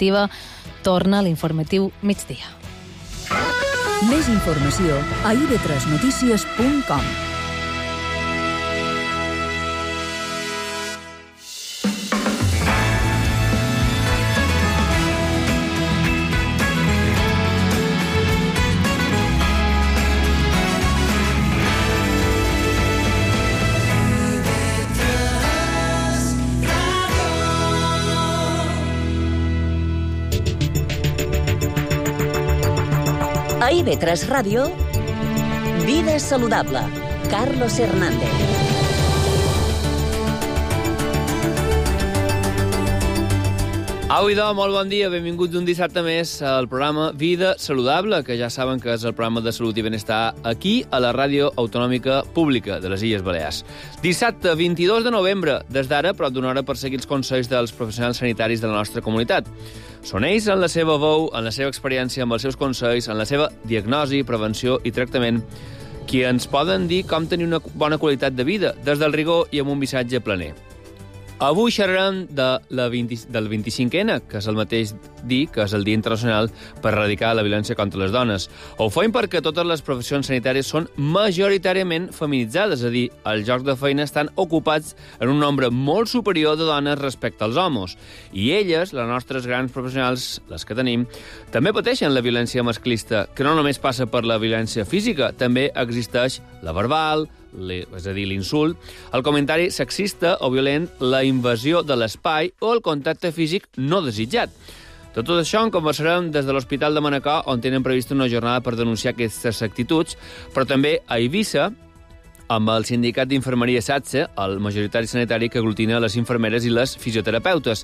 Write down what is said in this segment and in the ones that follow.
informativa. Torna l'informatiu migdia. Més informació a ib3notícies.com. A IB3 Ràdio, Vida Saludable, Carlos Hernández. Au, idò, molt bon dia, benvinguts un dissabte més al programa Vida Saludable, que ja saben que és el programa de salut i benestar aquí, a la Ràdio Autonòmica Pública de les Illes Balears. Dissabte 22 de novembre, des d'ara, prop d'una hora per seguir els consells dels professionals sanitaris de la nostra comunitat. Són ells, en la seva veu, en la seva experiència, amb els seus consells, en la seva diagnosi, prevenció i tractament, qui ens poden dir com tenir una bona qualitat de vida, des del rigor i amb un missatge planer. Avui xerrarem del 25N, que és el mateix dir que és el Dia Internacional per erradicar la violència contra les dones. Ho fem perquè totes les professions sanitàries són majoritàriament feminitzades, és a dir, els llocs de feina estan ocupats en un nombre molt superior de dones respecte als homes. I elles, les nostres grans professionals, les que tenim, també pateixen la violència masclista, que no només passa per la violència física, també existeix la verbal, és a dir, l'insult, el comentari sexista o violent, la invasió de l'espai o el contacte físic no desitjat. De tot això en conversarem des de l'Hospital de Manacor, on tenen prevista una jornada per denunciar aquestes actituds, però també a Eivissa, amb el sindicat d'infermeria SATSE, el majoritari sanitari que aglutina les infermeres i les fisioterapeutes.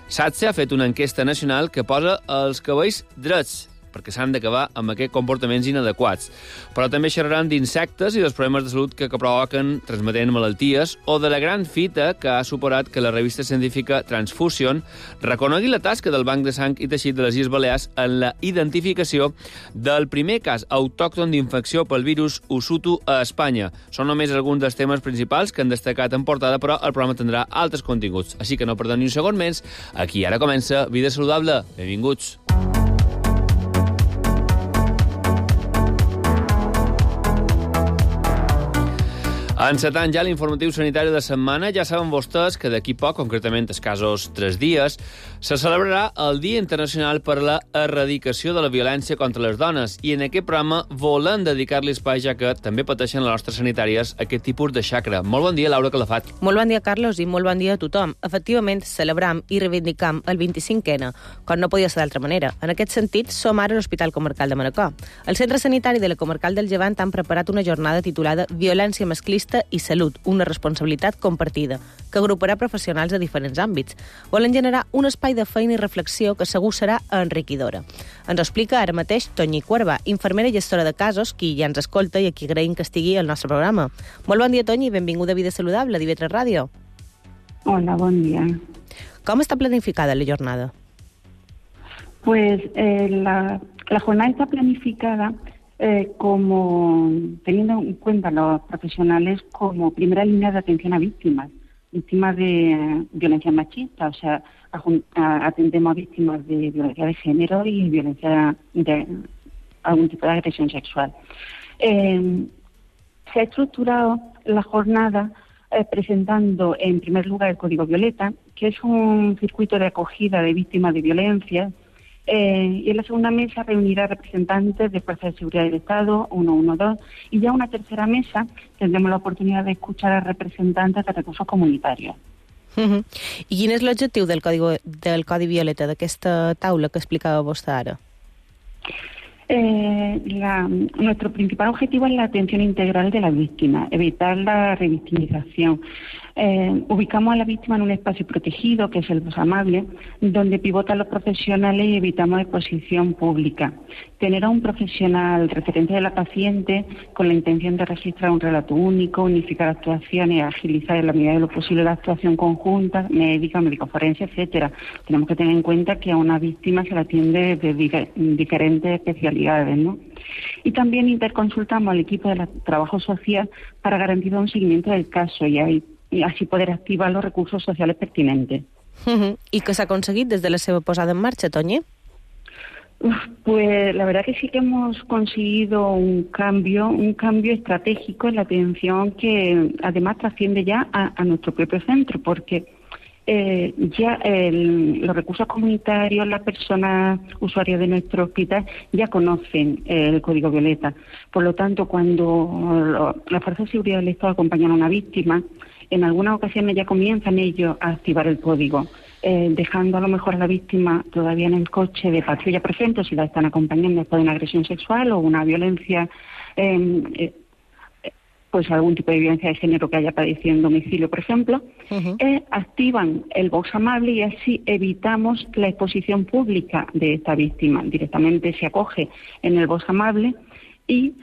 SATSE ha fet una enquesta nacional que posa els cabells drets, perquè s'han d'acabar amb aquests comportaments inadequats. Però també xerraran d'insectes i dels problemes de salut que provoquen transmetent malalties o de la gran fita que ha superat que la revista científica Transfusion reconegui la tasca del Banc de Sang i Teixit de les Illes Balears en la identificació del primer cas autòcton d'infecció pel virus Usutu a Espanya. Són només alguns dels temes principals que han destacat en portada, però el programa tindrà altres continguts. Així que no perdeu ni un segon més. Aquí ara comença Vida Saludable. Benvinguts. Encetant ja l'informatiu sanitari de setmana, ja saben vostès que d'aquí poc, concretament escassos 3 dies, se celebrarà el Dia Internacional per a la Erradicació de la Violència contra les Dones i en aquest programa volem dedicar-li espai, ja que també pateixen les nostres sanitàries aquest tipus de xacra. Molt bon dia, Laura Calafat. Molt bon dia, Carlos, i molt bon dia a tothom. Efectivament, celebram i reivindicam el 25N, com no podia ser d'altra manera. En aquest sentit, som ara a l'Hospital Comarcal de Manacor. El Centre Sanitari de la Comarcal del Llevant han preparat una jornada titulada Violència masclista i salut, una responsabilitat compartida, que agruparà professionals de diferents àmbits. Volen generar un espai de feina i reflexió que segur serà enriquidora. Ens ho explica ara mateix Toñi Cuerva, infermera i gestora de casos, qui ja ens escolta i a qui agraïm que estigui al nostre programa. Molt bon dia, Toñi, i benvinguda a Vida Saludable, a IB3 Ràdio. Hola, bon dia. Com està planificada la jornada? Pues la jornada está planificada como teniendo en cuenta a los profesionales como primera línea de atención a víctimas de violencia machista, o sea, atendemos a víctimas de violencia de género y violencia de algún tipo de agresión sexual. Se ha estructurado la jornada presentando en primer lugar el Código Violeta, que es un circuito de acogida de víctimas de violencia. Y en la segunda mesa reunirá representantes de Fuerzas de Seguridad del Estado, 112, y ya una tercera mesa tendremos la oportunidad de escuchar a representantes de recursos comunitarios. I quin és l'objectiu del Codi Violeta, d'aquesta taula que explicava vostè ara? Nuestro principal objetivo es la atención integral de la víctima, evitar la revictimización. Ubicamos a la víctima en un espacio protegido, que es el Voz Amable, donde pivotan los profesionales y evitamos exposición pública. Tener a un profesional referente de la paciente con la intención de registrar un relato único, unificar actuaciones, agilizar en la medida de lo posible la actuación conjunta, médica, médico-forense, etcétera. Tenemos que tener en cuenta que a una víctima se la atiende de diferentes especialidades, ¿no? Y también interconsultamos al equipo de trabajo social para garantizar un seguimiento del caso y así poder activar los recursos sociales pertinentes. ¿Y qué s'ha aconseguit des de la seva posada en marcha, Toñi? Pues la verdad que sí que hemos conseguido un cambio estratégico en la atención que además trasciende ya a nuestro propio centro, porque ya los recursos comunitarios, las personas usuarias de nuestro hospital ya conocen el Código Violeta. Por lo tanto, cuando las fuerzas de seguridad del Estado acompañan a una víctima, en algunas ocasiones ya comienzan ellos a activar el código, dejando a lo mejor a la víctima todavía en el coche de patrulla, por ejemplo, si la están acompañando después de una agresión sexual o una violencia, pues algún tipo de violencia de género que haya padecido en domicilio, por ejemplo, activan el box amable y así evitamos la exposición pública de esta víctima. Directamente se acoge en el box amable y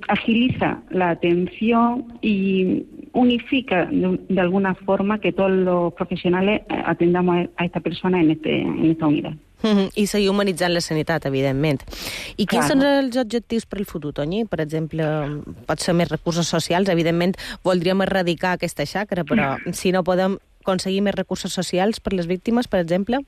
agiliza la atención y unifica de alguna forma que todos los profesionales atendamos a esta persona en esta unidad. I seguir humanitzant la sanitat, evidentment. I quins són els objectius per al futur, Toñi? Per exemple, pot ser més recursos socials. Evidentment, voldríem erradicar aquesta xacra, però si no podem aconseguir més recursos socials per les víctimes, per exemple?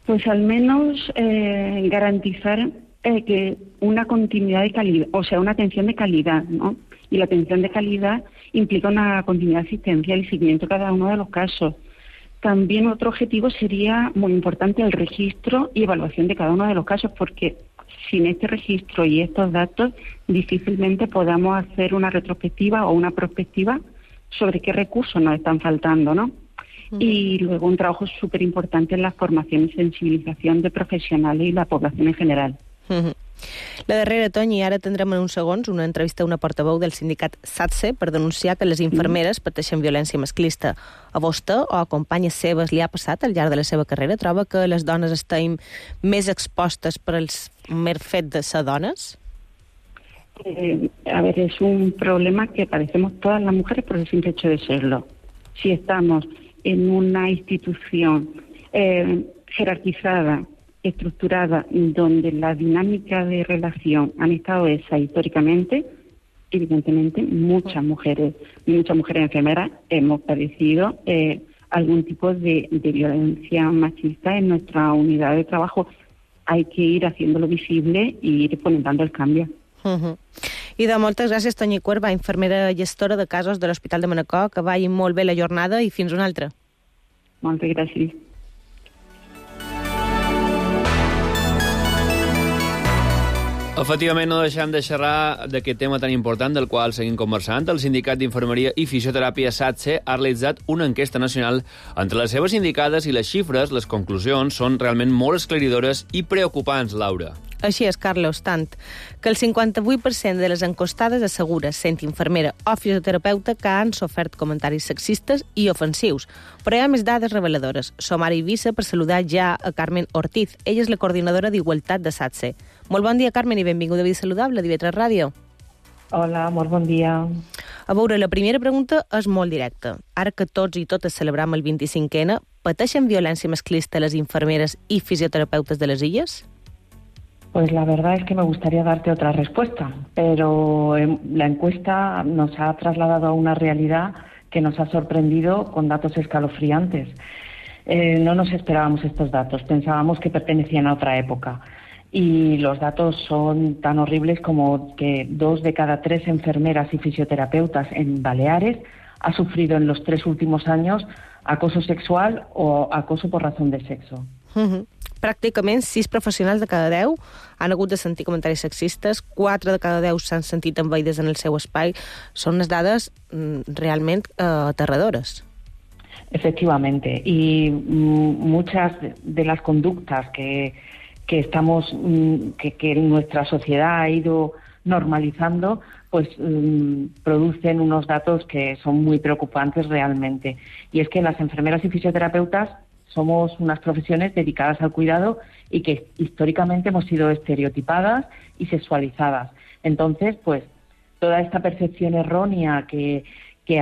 Pues al menos garantizar que una continuidad de calidad, o sea, una atención de calidad, ¿no? Y la atención de calidad implica una continuidad asistencial y seguimiento de cada uno de los casos. También otro objetivo sería muy importante el registro y evaluación de cada uno de los casos, porque sin este registro y estos datos difícilmente podamos hacer una retrospectiva o una prospectiva sobre qué recursos nos están faltando, ¿no? Y luego un trabajo súper importante en la formación y sensibilización de profesionales y la población en general. La darrera, Toñi, ara tindrem en uns segons una entrevista a una portaveu del sindicat SATSE per denunciar que les infermeres pateixen violència masclista. A vostè o a companyes seves li ha passat al llarg de la seva carrera? Troba que les dones estem més expostes per al mer fet de ser dones? A ver, es un problema que padecemos todas las mujeres por el simple hecho de serlo. Si estamos en una institución jerarquizada, estructurada, donde la dinámica de relación han estado esa históricamente, evidentemente muchas mujeres enfermeras hemos padecido algún tipo de violencia machista en nuestra unidad de trabajo. Hay que ir haciéndolo visible y ir fomentando el cambio. I de moltes gràcies, Toñi Cuerva, infermera gestora de casos de l'Hospital de Manacor, que vagi molt bé la jornada i fins una altra. Moltes gràcies. Efectivament, no deixem de xerrar d'aquest tema tan important del qual seguim conversant. El Sindicat d'Infermeria i Fisioteràpia SATSE ha realitzat una enquesta nacional entre les seves sindicades i les xifres, les conclusions, són realment molt esclaridores i preocupants, Laura. Així és, Carlos, tant que el 58% de les encostades assegura, sent infermera o fisioterapeuta, que han sofert comentaris sexistes i ofensius. Però hi ha més dades reveladores. Som ara a Eivissa per saludar ja a Carmen Ortiz. Ella és la coordinadora d'Igualtat de SATSE. Molt bon dia, Carmen, i benvinguda a Vida Saludable, de IB3 Ràdio. Hola, molt bon dia. A veure, la primera pregunta és molt directa. Ara que tots i totes celebram el 25N, pateixen violència masclista les infermeres i fisioterapeutes de les Illes? Pues la verdad es que me gustaría darte otra respuesta, pero la encuesta nos ha trasladado a una realidad que nos ha sorprendido con datos escalofriantes. No nos esperábamos estos datos, pensábamos que pertenecían a otra época. Y los datos son tan horribles como que 2 de cada 3 enfermeras y fisioterapeutas en Baleares ha sufrido en los 3 últimos años acoso sexual o acoso por razón de sexo. Pràcticament 6 professionals de cada 10 han hagut de sentir comentaris sexistes, 4 de cada 10 s'han sentit envaïdes en el seu espai. Són unes dades realment aterradores. Efectivamente, y muchas de las conductas que nuestra sociedad ha ido normalizando, pues producen unos datos que son muy preocupantes realmente. Y es que las enfermeras y fisioterapeutas somos unas profesiones dedicadas al cuidado y que históricamente hemos sido estereotipadas y sexualizadas. Entonces, pues, toda esta percepción errónea que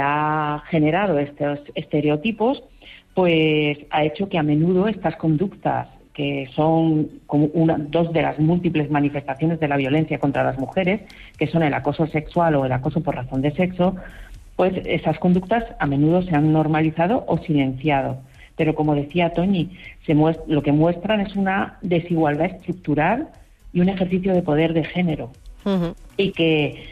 ha generado estos estereotipos, pues ha hecho que a menudo estas conductas, que son como 2 de las múltiples manifestaciones de la violencia contra las mujeres, que son el acoso sexual o el acoso por razón de sexo, pues esas conductas a menudo se han normalizado o silenciado. pero como decía Toñi, lo que muestran es una desigualdad estructural y un ejercicio de poder de género, y que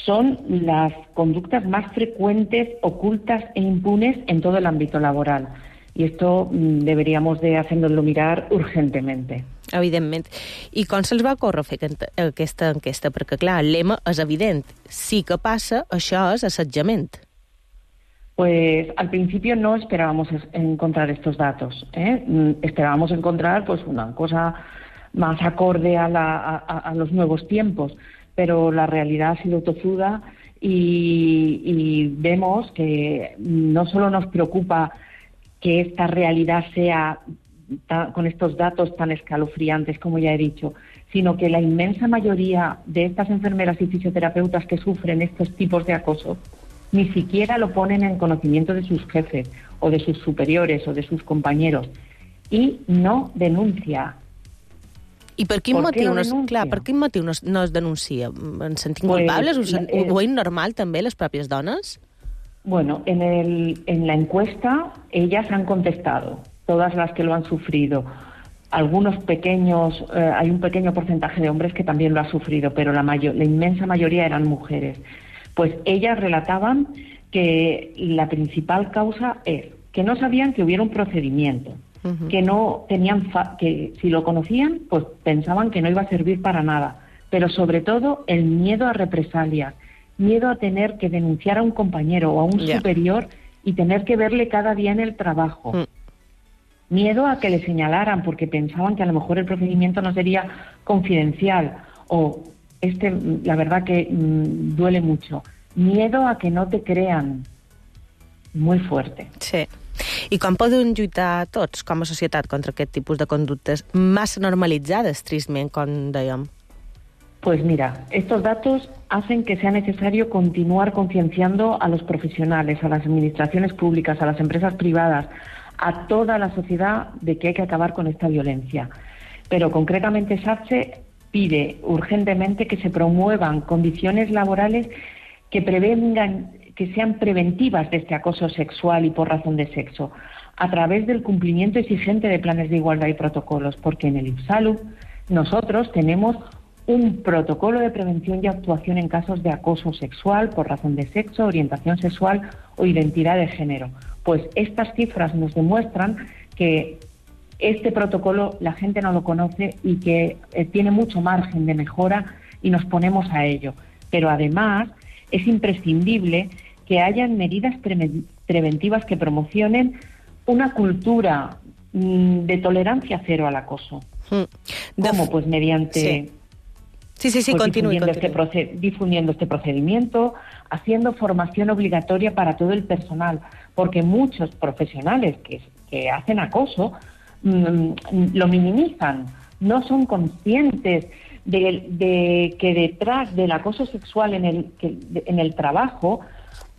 son las conductes más freqüentes, ocultes e impunes en todo el ámbito laboral. Y esto deberíamos de hacernoslo mirar urgentemente. Evidentment. I com se'ls va ocórrer fer aquesta enquesta? Perquè, clar, el lema és evident. Sí que passa, això és assetjament. Pues al principio no esperábamos encontrar estos datos, Esperábamos encontrar pues una cosa más acorde a los nuevos tiempos, pero la realidad ha sido tozuda y vemos que no solo nos preocupa que esta realidad sea con estos datos tan escalofriantes, como ya he dicho, sino que la inmensa mayoría de estas enfermeras y fisioterapeutas que sufren estos tipos de acoso ni siquiera lo ponen en conocimiento de sus jefes o de sus superiores o de sus compañeros y no denuncia. I per quin motiu no es denuncia? En sentim culpables? Ho és normal també, les pròpies dones? Bueno, en la encuesta ellas han contestado, todas las que lo han sufrido. Algunos pequeños, hay un pequeño porcentaje de hombres que también lo ha sufrido, pero la inmensa mayoría eran mujeres. Pues ellas relataban que la principal causa es que no sabían que hubiera un procedimiento, que no tenían que si lo conocían, pues pensaban que no iba a servir para nada, pero sobre todo el miedo a represalias, miedo a tener que denunciar a un compañero o a un superior y tener que verle cada día en el trabajo. Miedo a que le señalaran porque pensaban que a lo mejor el procedimiento no sería confidencial o la verdad que duele mucho. Miedo a que no te crean. Muy fuerte. Sí. I com podem lluitar tots, com a societat, contra aquest tipus de conductes massa normalitzades, tristament, com dèiem? Pues mira, estos datos hacen que sea necesario continuar concienciando a los profesionales, a las administraciones públicas, a las empresas privadas, a toda la sociedad de que hay que acabar con esta violencia. Pero concretamente SATSE pide urgentemente que se promuevan condiciones laborales que prevengan, que sean preventivas de este acoso sexual y por razón de sexo, a través del cumplimiento exigente de planes de igualdad y protocolos, porque en el IPSALU nosotros tenemos un protocolo de prevención y actuación en casos de acoso sexual por razón de sexo, orientación sexual o identidad de género. Pues estas cifras nos demuestran que este protocolo la gente no lo conoce y que tiene mucho margen de mejora y nos ponemos a ello. Pero además es imprescindible que hayan medidas preventivas que promocionen una cultura de tolerancia cero al acoso. ¿Cómo? Pues mediante... Sí, continúe. Difundiendo este procedimiento, haciendo formación obligatoria para todo el personal, porque muchos profesionales que hacen acoso lo minimizan, no son conscientes de que detrás del acoso sexual en el trabajo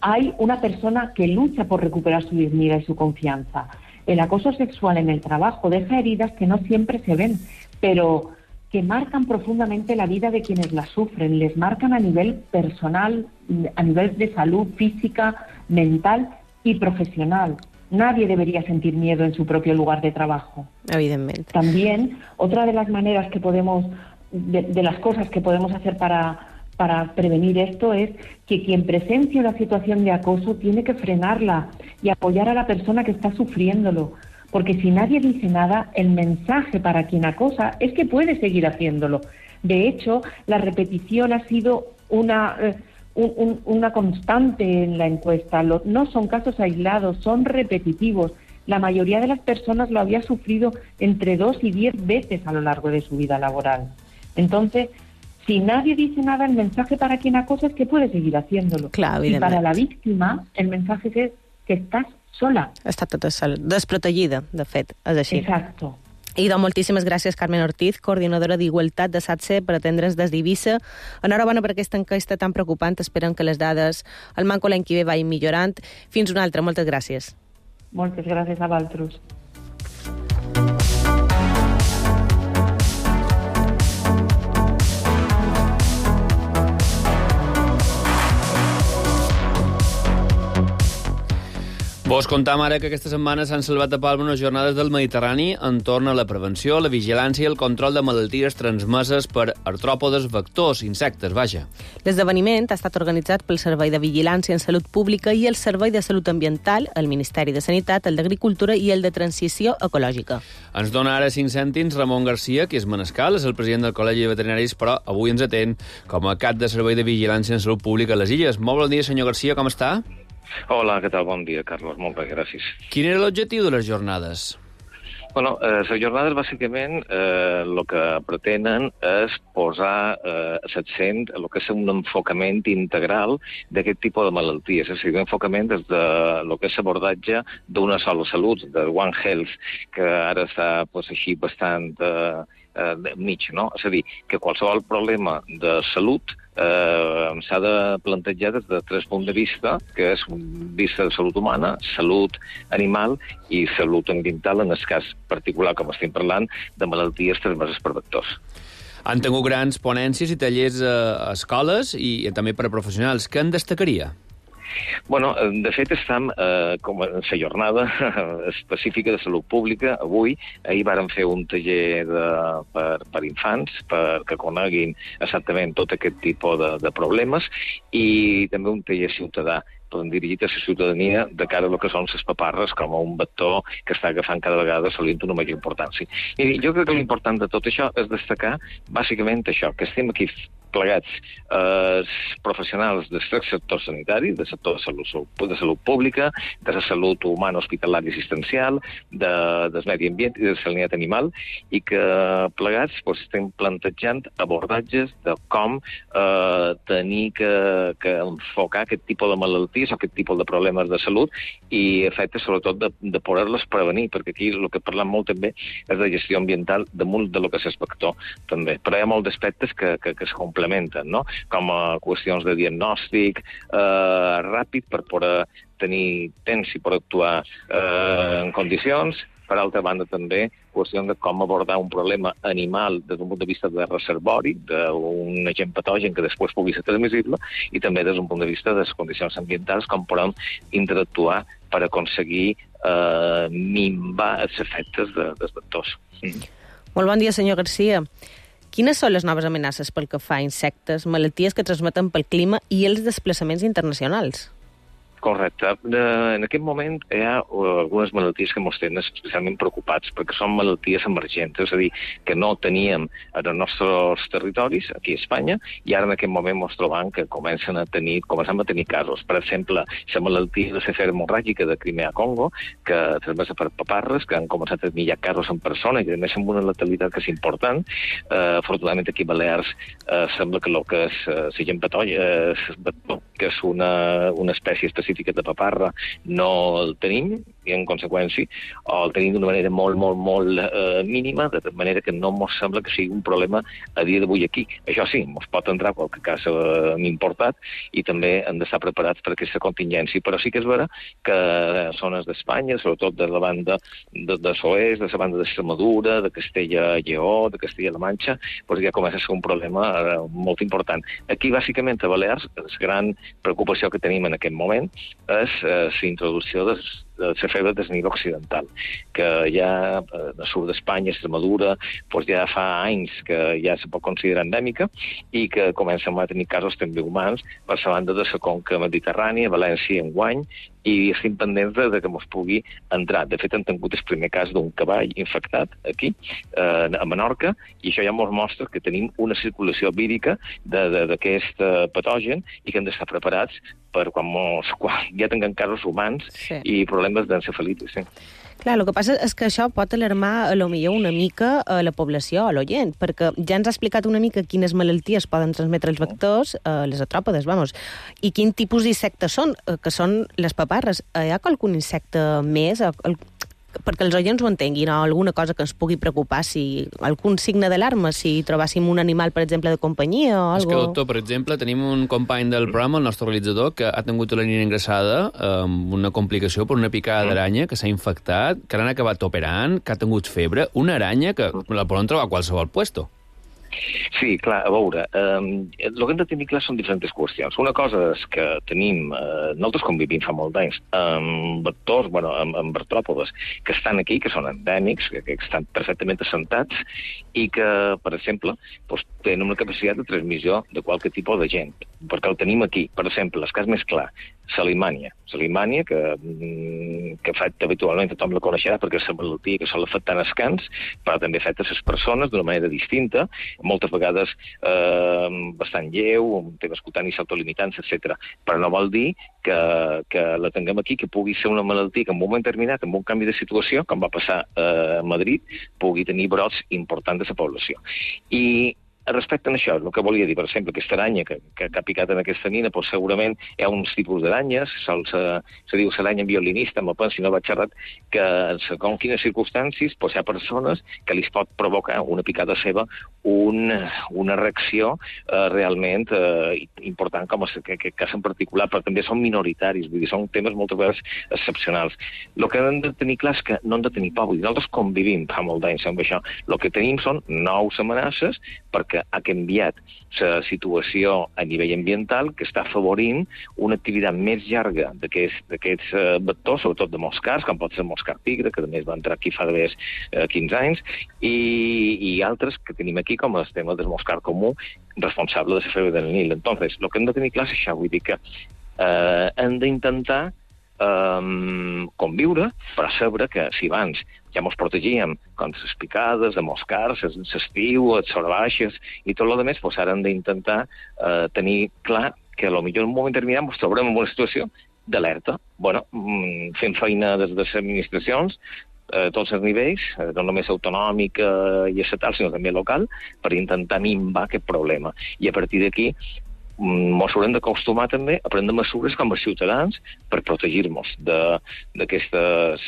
hay una persona que lucha por recuperar su dignidad y su confianza. El acoso sexual en el trabajo deja heridas que no siempre se ven, pero que marcan profundamente la vida de quienes la sufren, les marcan a nivel personal, a nivel de salud física, mental y profesional. Nadie debería sentir miedo en su propio lugar de trabajo. Evidentemente. También, otra de las maneras que podemos, de las cosas que podemos hacer para prevenir esto es que quien presencia una situación de acoso tiene que frenarla y apoyar a la persona que está sufriéndolo. Porque si nadie dice nada, el mensaje para quien acosa es que puede seguir haciéndolo. De hecho, la repetición ha sido una constante en la encuesta. No son casos aislados, son repetitivos. La mayoría de las personas lo había sufrido entre 2 y 10 veces a lo largo de su vida laboral. Entonces, si nadie dice nada, el mensaje para quien acosa es que puede seguir haciéndolo. Clar, y para la víctima, el mensaje es que estás sola. Està tota sola, desprotegida, de fet, és així. Exacto. I doncs moltíssimes gràcies, Carmen Ortiz, coordinadora d'Igualtat de SATSE, per atendre'ns des d'Eivissa. Enhorabona per aquesta enquesta tan preocupant. Esperem que les dades al manco l'any que ve vagin millorant. Fins una altra. Moltes gràcies. Moltes gràcies a vosaltres. Vos contam ara que aquesta setmana s'han celebrat a Palma unes jornades del Mediterrani entorn a la prevenció, la vigilància i el control de malalties transmeses per artròpodes vectors, insectes, vaja. L'esdeveniment ha estat organitzat pel Servei de Vigilància en Salut Pública i el Servei de Salut Ambiental, el Ministeri de Sanitat, el d'Agricultura i el de Transició Ecològica. Ens dona ara 5 cèntims Ramon Garcia, que és manescal, és el president del Col·legi de Veterinaris, però avui ens atén com a cap de Servei de Vigilància en Salut Pública a les Illes. Molt bon dia, senyor Garcia, com està? Hola, què tal? Bon dia, Carlos. Moltes gràcies. Quin era l'objectiu de les jornades? Bueno, les jornades, bàsicament, el que pretenen és posar l'accent en el que és un enfocament integral d'aquest tipus de malalties. És a dir, un enfocament des de lo que és l'abordatge d'una sola salut, de One Health, que ara està així bastant mig, no? És a dir, que qualsevol problema de salut s'ha de plantejar des de 3 punts de vista, que és vista de salut humana, salut animal i salut ambiental, en el cas particular, com estem parlant, de malalties transmeses per vectors. Han tingut grans ponències i tallers a escoles i també per a professionals. Què en destacaria? Bueno, de fet, estem com en la jornada específica de salut pública. Ahir vàrem fer un taller per infants, perquè coneguin exactament tot aquest tipus de problemes, i també un taller ciutadà dirigit a la ciutadania de cara a lo que són les paparres com a un vector que està agafant cada vegada assolint una major importància. I jo crec que l'important de tot això és destacar bàsicament això, que estem aquí plegats professionals del sector sanitari, del sector de salut pública, de la salut humana, hospitalària i assistencial, del medi ambient i de la sanitat animal, i que plegats estem plantejant abordatges de com tenir que enfocar aquest tipus de malalties o aquest tipus de problemes de salut i efectes, sobretot, de poder-les prevenir, perquè aquí el que parlem molt també és de gestió ambiental damunt de lo que és el vector, també. Però hi ha molts aspectes que es complementen, no? Com a qüestions de diagnòstic ràpid per poder tenir temps i poder actuar en condicions. Per altra banda, també, qüestió de com abordar un problema animal des d'un punt de vista de reservori, d'un agent patogen que després pugui ser transmissible, i també des d'un punt de vista de les condicions ambientals, com podem interactuar per aconseguir minvar els efectes dels vectors. Molt bon dia, senyor Garcia. Quines són les noves amenaces pel que fa a insectes, malalties que transmeten pel clima i els desplaçaments internacionals? Correcte. En aquest moment hi ha algunes malalties que ens tenen especialment preocupats, perquè són malalties emergents, és a dir, que no teníem en els nostres territoris, aquí a Espanya, i ara en aquest moment ens trobem que comencem a tenir casos. Per exemple, la malaltia de la febre hemorràgica de Crimea-Congo, que transmesa per paparres, que han començat a tenir ja casos en persona, i a més amb una letalitat que és important. Afortunadament aquí a Balears sembla que el que és l'agent patogen, que és una espècie específica de paparra, no el tenim, i en conseqüència el tenim d'una manera molt mínima, de manera que no ens sembla que sigui un problema a dia d'avui aquí. Això sí, ens pot entrar qualque cas importat i també hem d'estar preparats per aquesta contingència, però sí que és vera que zones d'Espanya, sobretot de la banda de l'oest, de la banda d'Extremadura, de Castella i Lleó, de Castella-La Manxa, doncs ja comença a ser un problema molt important. Aquí, bàsicament, a Balears, la gran preocupació que tenim en aquest moment és la introducció de la febre del Nil occidental, que ja al sud d'Espanya, Extremadura, doncs ja fa anys que ja se pot considerar endèmica i que comencem a tenir casos també humans per la banda de la conca mediterrània, València enguany, i estem pendents de que ens pugui entrar. De fet, hem tingut el primer cas d'un cavall infectat aquí, a Menorca, i això ja ens mostra que tenim una circulació vírica d'aquest patogen i que hem d'estar preparats per quan ja tinguem casos humans i problemes d'encefalitis. Clar, el que passa és que això pot alarmar potser una mica a la població, a l'oient, perquè ja ens ha explicat una mica quines malalties poden transmetre els vectors, les artròpodes, i quin tipus d'insectes són, que són les paparres. Hi ha algun insecte més? Perquè els oients ho entenguin, o alguna cosa que ens pugui preocupar, si algun signe d'alarma, si trobàssim un animal, per exemple, de companyia o alguna cosa. És que, doctor, per exemple, tenim un company del programa, el nostre realitzador, que ha tingut la nina ingressada amb una complicació per una picada d'aranya, que s'ha infectat, que l'han acabat operant, que ha tingut febre, una aranya que la poden trobar a qualsevol puesto. Sí, clar, a veure, el que hem de tenir clar són diferents qüestions. Una cosa és que tenim, nosaltres convivim fa molt d'anys, amb vectors, amb artròpodes, que estan aquí, que són endèmics, que estan perfectament assentats, i que, per exemple, doncs, tenen una capacitat de transmissió de qualque tipus de gent, perquè el tenim aquí. Per exemple, el cas més clar, Salimània, que afecta habitualment, tothom la coneixerà perquè és la malaltia que sol afectar els cans, però també afecta les persones d'una manera distinta, moltes vegades bastant lleu, amb temes cutanis autolimitats, etc. Però no vol dir que la tinguem aquí, que pugui ser una malaltia que en un moment determinat, amb un canvi de situació, com va passar a Madrid, pugui tenir brots importants de la població. I respecte a això, el que volia dir, per exemple, aquesta aranya que ha picat en aquesta nina, doncs segurament hi ha uns tipus d'aranyes, se diu l'aranya violinista, si no vaig errat, que segons quines circumstàncies doncs hi ha persones que li pot provocar una picada seva una reacció realment important, com aquest cas en particular, però també són minoritaris, vull dir, són temes moltes vegades excepcionals. El que hem de tenir clar és que no hem de tenir por, vull dir, nosaltres convivim fa molt d'anys amb això. El que tenim són nous amenaces perquè ha canviat la situació a nivell ambiental que està afavorint una activitat més llarga d'aquests vectors, sobretot de moscars, com pot ser el moscar tigre, que també va entrar aquí fa 15 anys, i altres que tenim aquí, com el tema del moscar comú, responsable de la febre del Nil. Entonces, el que hem de tenir clar és això, vull dir que hem d'intentar conviure, però saber que si abans ja ens protegíem contra les picades, de moscars, l'estiu, les sorbaixes i tot el que més, doncs ara hem d'intentar tenir clar que potser en un moment determinat ens trobarem en una situació d'alerta. Fent feina des de les administracions, tots els nivells, no només autonòmic i estatal, sinó també local, per intentar minvar aquest problema. I a partir d'aquí ens haurem d'acostumar també a prendre mesures com a ciutadans per protegir-nos d'aquestes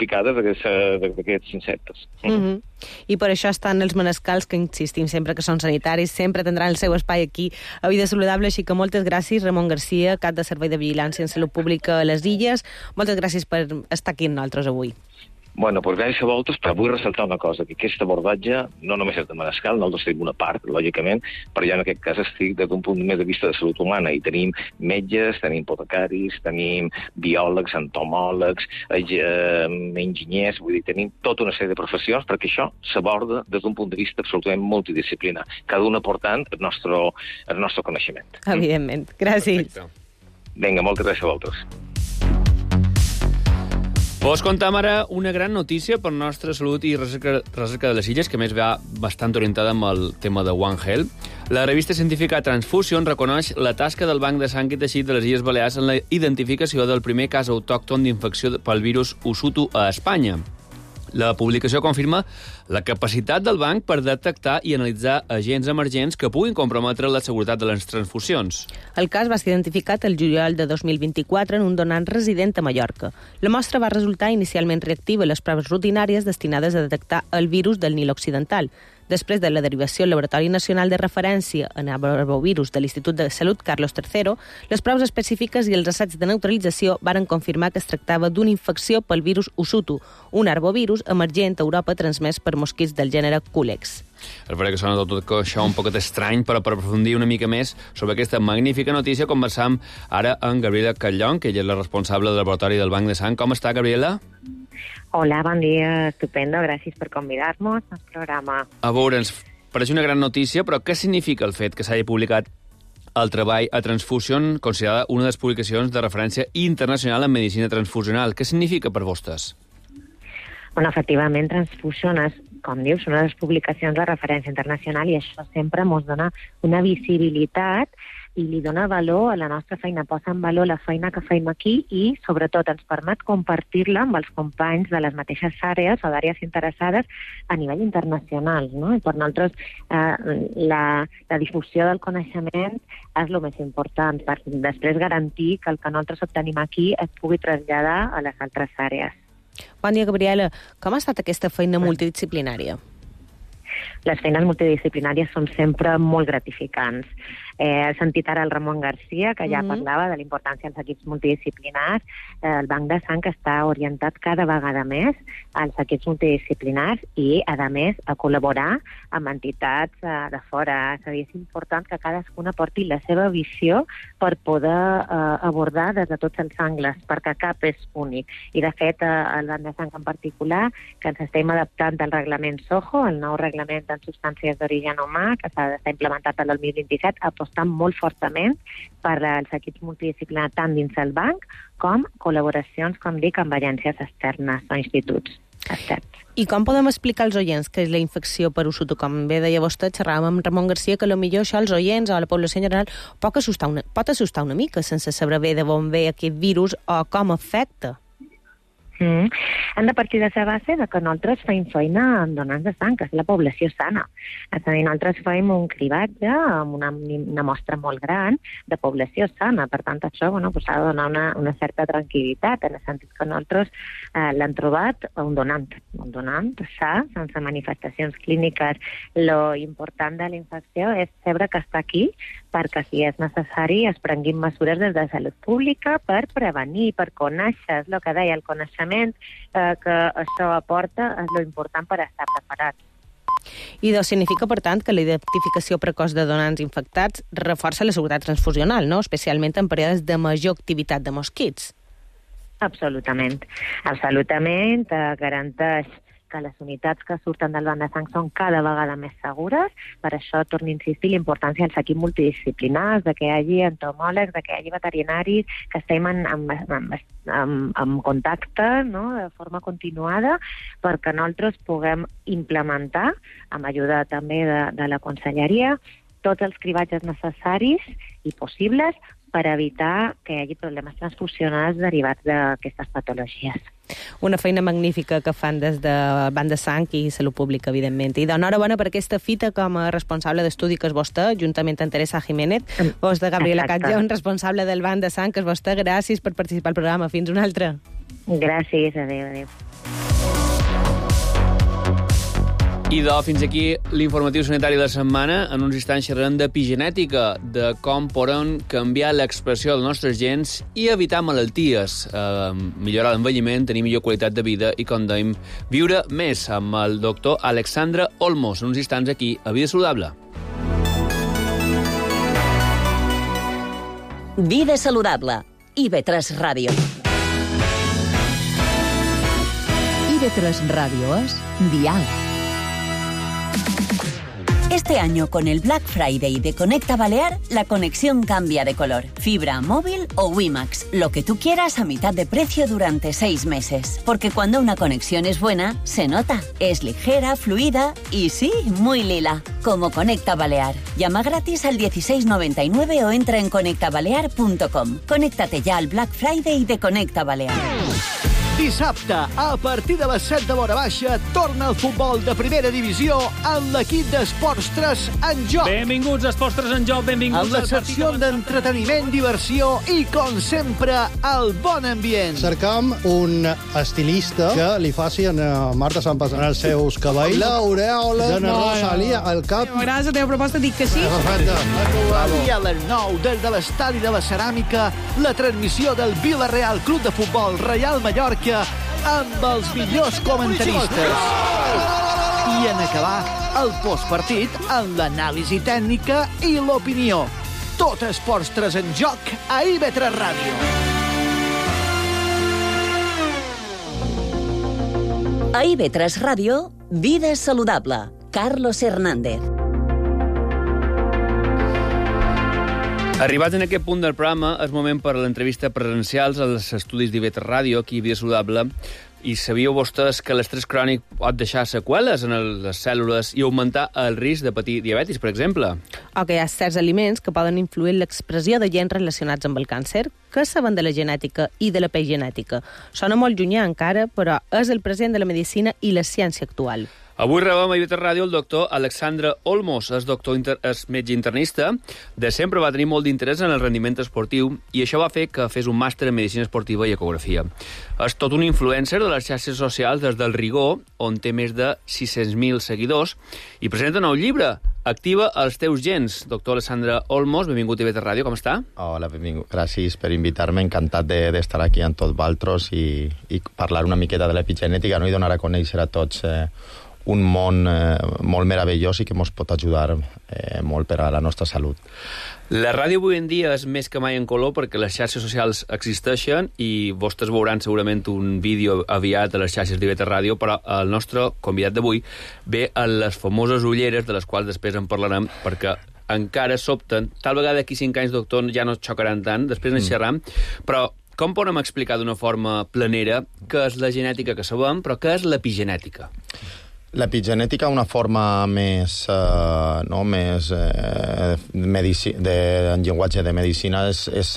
picades, d'aquests insectes. I per això estan els manescals, que insistim sempre que són sanitaris, sempre tindran el seu espai aquí a Vida Saludable, així que moltes gràcies, Ramon Garcia, cap de Servei de Vigilància en Salut Pública a les Illes. Moltes gràcies per estar aquí amb nosaltres avui. Doncs gràcies a vosaltres, però vull ressaltar una cosa, que aquest abordatge no només és de manescal, nosaltres tenim una part, lògicament, però jo en aquest cas estic des d'un punt més de vista de salut humana, i tenim metges, tenim hipotecaris, tenim biòlegs, entomòlegs, enginyers, vull dir, tenim tota una sèrie de professions, perquè això s'aborda des d'un punt de vista absolutament multidisciplinar, cada un aportant el nostre coneixement. Evidentment. Gràcies. Vinga, moltes gràcies a vosaltres. Vos contam ara una gran notícia per nostra salut i recerca de les Illes, que més va bastant orientada amb el tema de One Health. La revista científica Transfusion reconeix la tasca del Banc de Sang i Teixit de les Illes Balears en la identificació del primer cas autòcton d'infecció pel virus Usutu a Espanya. La publicació confirma la capacitat del banc per detectar i analitzar agents emergents que puguin comprometre la seguretat de les transfusions. El cas va ser identificat el juliol de 2024 en un donant resident a Mallorca. La mostra va resultar inicialment reactiva a les proves rutinàries destinades a detectar el virus del Nil Occidental. Després de la derivació al Laboratori Nacional de Referència en Arbovirus de l'Institut de Salut Carlos III, les proves específiques i els assaigs de neutralització varen confirmar que es tractava d'una infecció pel virus Usutu, un arbovirus emergent a Europa transmès per mosquits del gènere Culex. És veritat que sona tot això un poquet estrany, però per aprofundir una mica més sobre aquesta magnífica notícia conversam ara amb Gabriela Catllón, que ella és la responsable del laboratori del Banc de Sang. Com està, Gabriela? Hola, bon dia, estupendo, gràcies per convidar-nos al programa. A veure, ens pareix una gran notícia, però què significa el fet que s'hagi publicat el treball a Transfusion, considerada una de les publicacions de referència internacional en medicina transfusional? Què significa per vostès? Bueno, efectivament, Transfusion és, com dius, una de les publicacions de referència internacional i això sempre ens dona una visibilitat i li dona valor a la nostra feina, posa en valor la feina que fem aquí i, sobretot, ens permet compartir-la amb els companys de les mateixes àrees o d'àrees interessades a nivell internacional, no? I per nosaltres la difusió del coneixement és el més important, per després garantir que el que nosaltres obtenim aquí es pugui traslladar a les altres àrees. Bon dia, Gabriela. Com ha estat aquesta feina multidisciplinària? Les feines multidisciplinàries són sempre molt gratificants. He sentit ara el Ramon Garcia, que ja parlava de la importància dels equips multidisciplinars. El Banc de Sang està orientat cada vegada més als equips multidisciplinars i, a més, a col·laborar amb entitats de fora. És a dir, és important que cadascuna porti la seva visió per poder abordar des de tots els angles, perquè cap és únic. I, de fet, el Banc de Sang en particular, que ens estem adaptant al reglament SOHO, el nou reglament en substàncies d'origen humà, que s'ha d'estar implementat el 2027, apostant molt fortament per als equips multidisciplinars tant dins el banc com col·laboracions, com dic, amb agències externes o instituts externs. I com podem explicar als oients què és la infecció per Usutu? Com bé deia vostè, xerràvem amb Ramon Garcia, que potser això als oients o a la població en general pot assustar una mica sense saber bé d'on ve aquest virus o com afecta. Hem de partir de la base de que nosaltres feim feina amb donants de sang, que és la població sana. És a dir, nosaltres feim un cribatge amb una mostra molt gran de població sana. Per tant, això s'ha de donar una certa tranquil·litat, en el sentit que nosaltres l'hem trobat un donant sa, sense manifestacions clíniques. Lo important de la infecció és saber que està aquí, perquè si és necessari es prenguin mesures des de salut pública per prevenir, per conèixer, és el que deia, el coneixement que això aporta és lo important per estar preparats. I significa, per tant, que la identificació precoç de donants infectats reforça la seguretat transfusional, no? Especialment en períodes de major activitat de mosquits. Absolutament. Garanteix que les unitats que surten del banc de sang són cada vegada més segures. Per això torno a insistir la importància dels equips multidisciplinars, de que hi hagi entomòlegs, de que hi hagi veterinaris, que estem en contacte, no?, de forma continuada, perquè nosaltres puguem implementar, amb ajuda també de la Conselleria, tots els cribatges necessaris i possibles per evitar que hi hagi problemes transfusionals derivats d'aquestes patologies. Una feina magnífica que fan des de Banc de Sang i Salut Pública, evidentment. I d'enhorabona per aquesta fita com a responsable d'estudi que és vostè, juntament amb Teresa Jiménez, vostè, Gabriela Catllón, responsable del Banc de Sang, que és vostè. Gràcies per participar al programa. Fins una altra. Gràcies, adéu. I fins aquí l'informatiu sanitari de la setmana. En uns instants xerrarem d'epigenètica, de com podem canviar l'expressió dels nostres gens i evitar malalties, millorar l'envelliment, tenir millor qualitat de vida i, com dèiem, viure més, amb el doctor Alexandre Olmos. En uns instants aquí, a Vida Saludable. Vida Saludable. IB3 Ràdio. IB3 Ràdio és diàleg. Este año, con el Black Friday de Conecta Balear, la conexión cambia de color. Fibra, móvil o WiMAX, lo que tú quieras a mitad de precio durante 6 meses. Porque cuando una conexión es buena, se nota. Es ligera, fluida y sí, muy lila. Como Conecta Balear. Llama gratis al 1699 o entra en conectabalear.com. Conéctate ya al Black Friday de Conecta Balear. Dissabte, a partir de les 7 de l'hora baixa, torna el futbol de primera divisió amb l'equip d'Esports 3 en joc. Benvinguts a Esports 3 en joc, benvinguts amb la secció d'entreteniment, diversió i, com sempre, el bon ambient. Cercam un estilista que li faci a Marta Sampas en els seus cabells l'aureola de Rosalia al cap. M'agrada la teva proposta, dic que sí. I a les 9, des de l'estadi de la Ceràmica, la transmissió del Villarreal Club de Futbol Real Mallorca amb els millors comentaristes. I en acabar, el postpartit amb l'anàlisi tècnica i l'opinió. Tot Esports 3 en joc a IB3 Ràdio. A IB3 Ràdio, Vida Saludable. Carlos Hernández. Arribats en aquest punt del programa, és moment per a l'entrevista presencials als estudis d'IB3 Ràdio, aquí a Vida Saludable. I sabíeu vostès que l'estrès crònic pot deixar seqüeles en les cèl·lules i augmentar el risc de patir diabetis, per exemple? O que hi ha certs aliments que poden influir en l'expressió de gens relacionats amb el càncer. Què saben de la genètica i de l'epigenètica? Sona molt llunyà encara, però és el present de la medicina i la ciència actual. Avui rebem a IB3 Ràdio el doctor Alexandre Olmos, és metge internista. De sempre va tenir molt d'interès en el rendiment esportiu i això va fer que fes un màster en medicina esportiva i ecografia. És tot un influencer de les xarxes socials des del Rigor, on té més de 600.000 seguidors, i presenta un nou llibre, Activa els teus gens. Doctor Alessandre Olmos, benvingut a IB3 Ràdio, com està? Hola, benvingut. Gràcies per invitar-me. Encantat d'estar aquí amb tots vosaltres i parlar una miqueta de l'epigenètica, no? I donar a conèixer a tots un món molt meravellós i que ens pot ajudar molt per a la nostra salut. La ràdio avui en dia és més que mai en color perquè les xarxes socials existeixen i vostès veuran segurament un vídeo aviat a les xarxes d'IB3 Ràdio, però el nostre convidat d'avui ve a les famoses ulleres, de les quals després en parlarem, perquè encara sobten. Tal vegada d'aquí 5 anys, doctor, ja no xocaran tant, després en xerram, però com podem explicar d'una forma planera què és la genètica que sabem, però què és l'epigenètica? L'epigenètica, una forma més, en llenguatge de medicina, és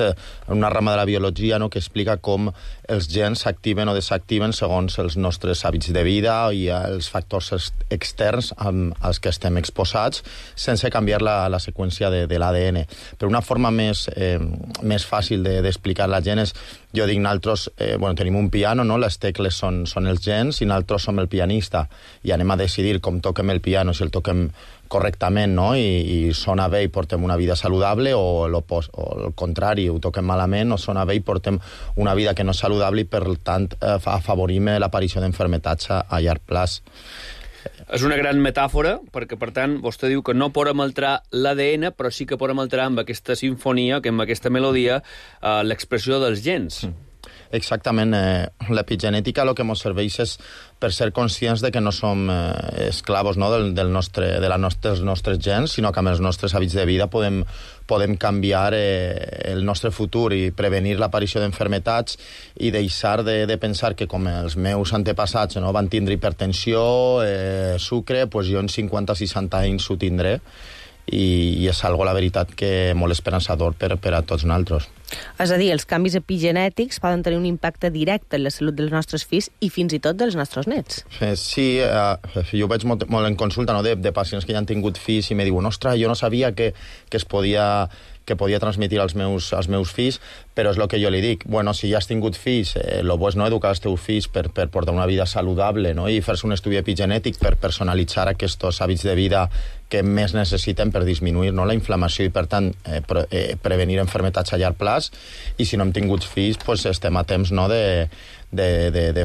una rama de la biologia, no?, que explica com els gens s'activen o desactiven segons els nostres hàbits de vida i els factors externs als que estem exposats, sense canviar la seqüència de l'ADN. Però una forma més fàcil d'explicar la gent és, jo dic, nosaltres tenim un piano, no? Les tecles són els gens i nosaltres som el pianista i anem a decidir com toquem el piano, si el toquem correctament, no? I sona bé i portem una vida saludable, o el contrari, ho toquem malament, o sona bé i portem una vida que no és saludable i, per tant, afavorim l'aparició d'enfermetats a llarg plaç. És una gran metàfora, perquè, per tant, vostè diu que no podem alterar l'ADN, però sí que podem alterar amb aquesta sinfonia, amb aquesta melodia, l'expressió dels gens. Exactament. L'epigenètica el que ens serveix és per ser conscients de que no som esclavos, no?, dels nostres gens, sinó que amb els nostres hàbits de vida podem canviar el nostre futur i prevenir l'aparició d'enfermetats i deixar de pensar que, com els meus antepassats, no, van tindre hipertensió, sucre, doncs jo en 50-60 anys ho tindré. I és algo, la veritat, que molt esperançador per a tots nosaltres. És a dir, els canvis epigenètics poden tenir un impacte directe en la salut dels nostres fills i fins i tot dels nostres nets. Sí, jo ho veig molt en consulta, no?, de pacients que ja han tingut fills i me diuen, ostres, jo no sabia que podia transmetre als meus fills, però és el que jo li dic. Bueno, si ja has tingut fills, el bo és no educar els teus fills per portar una vida saludable, no?, i fer-se un estudi epigenètic per personalitzar aquests hàbits de vida que més necessiten per disminuir, no?, la inflamació i, per tant, prevenir enfermetats a llarg plaç. I si no hem tingut fills, doncs estem a temps, no?, de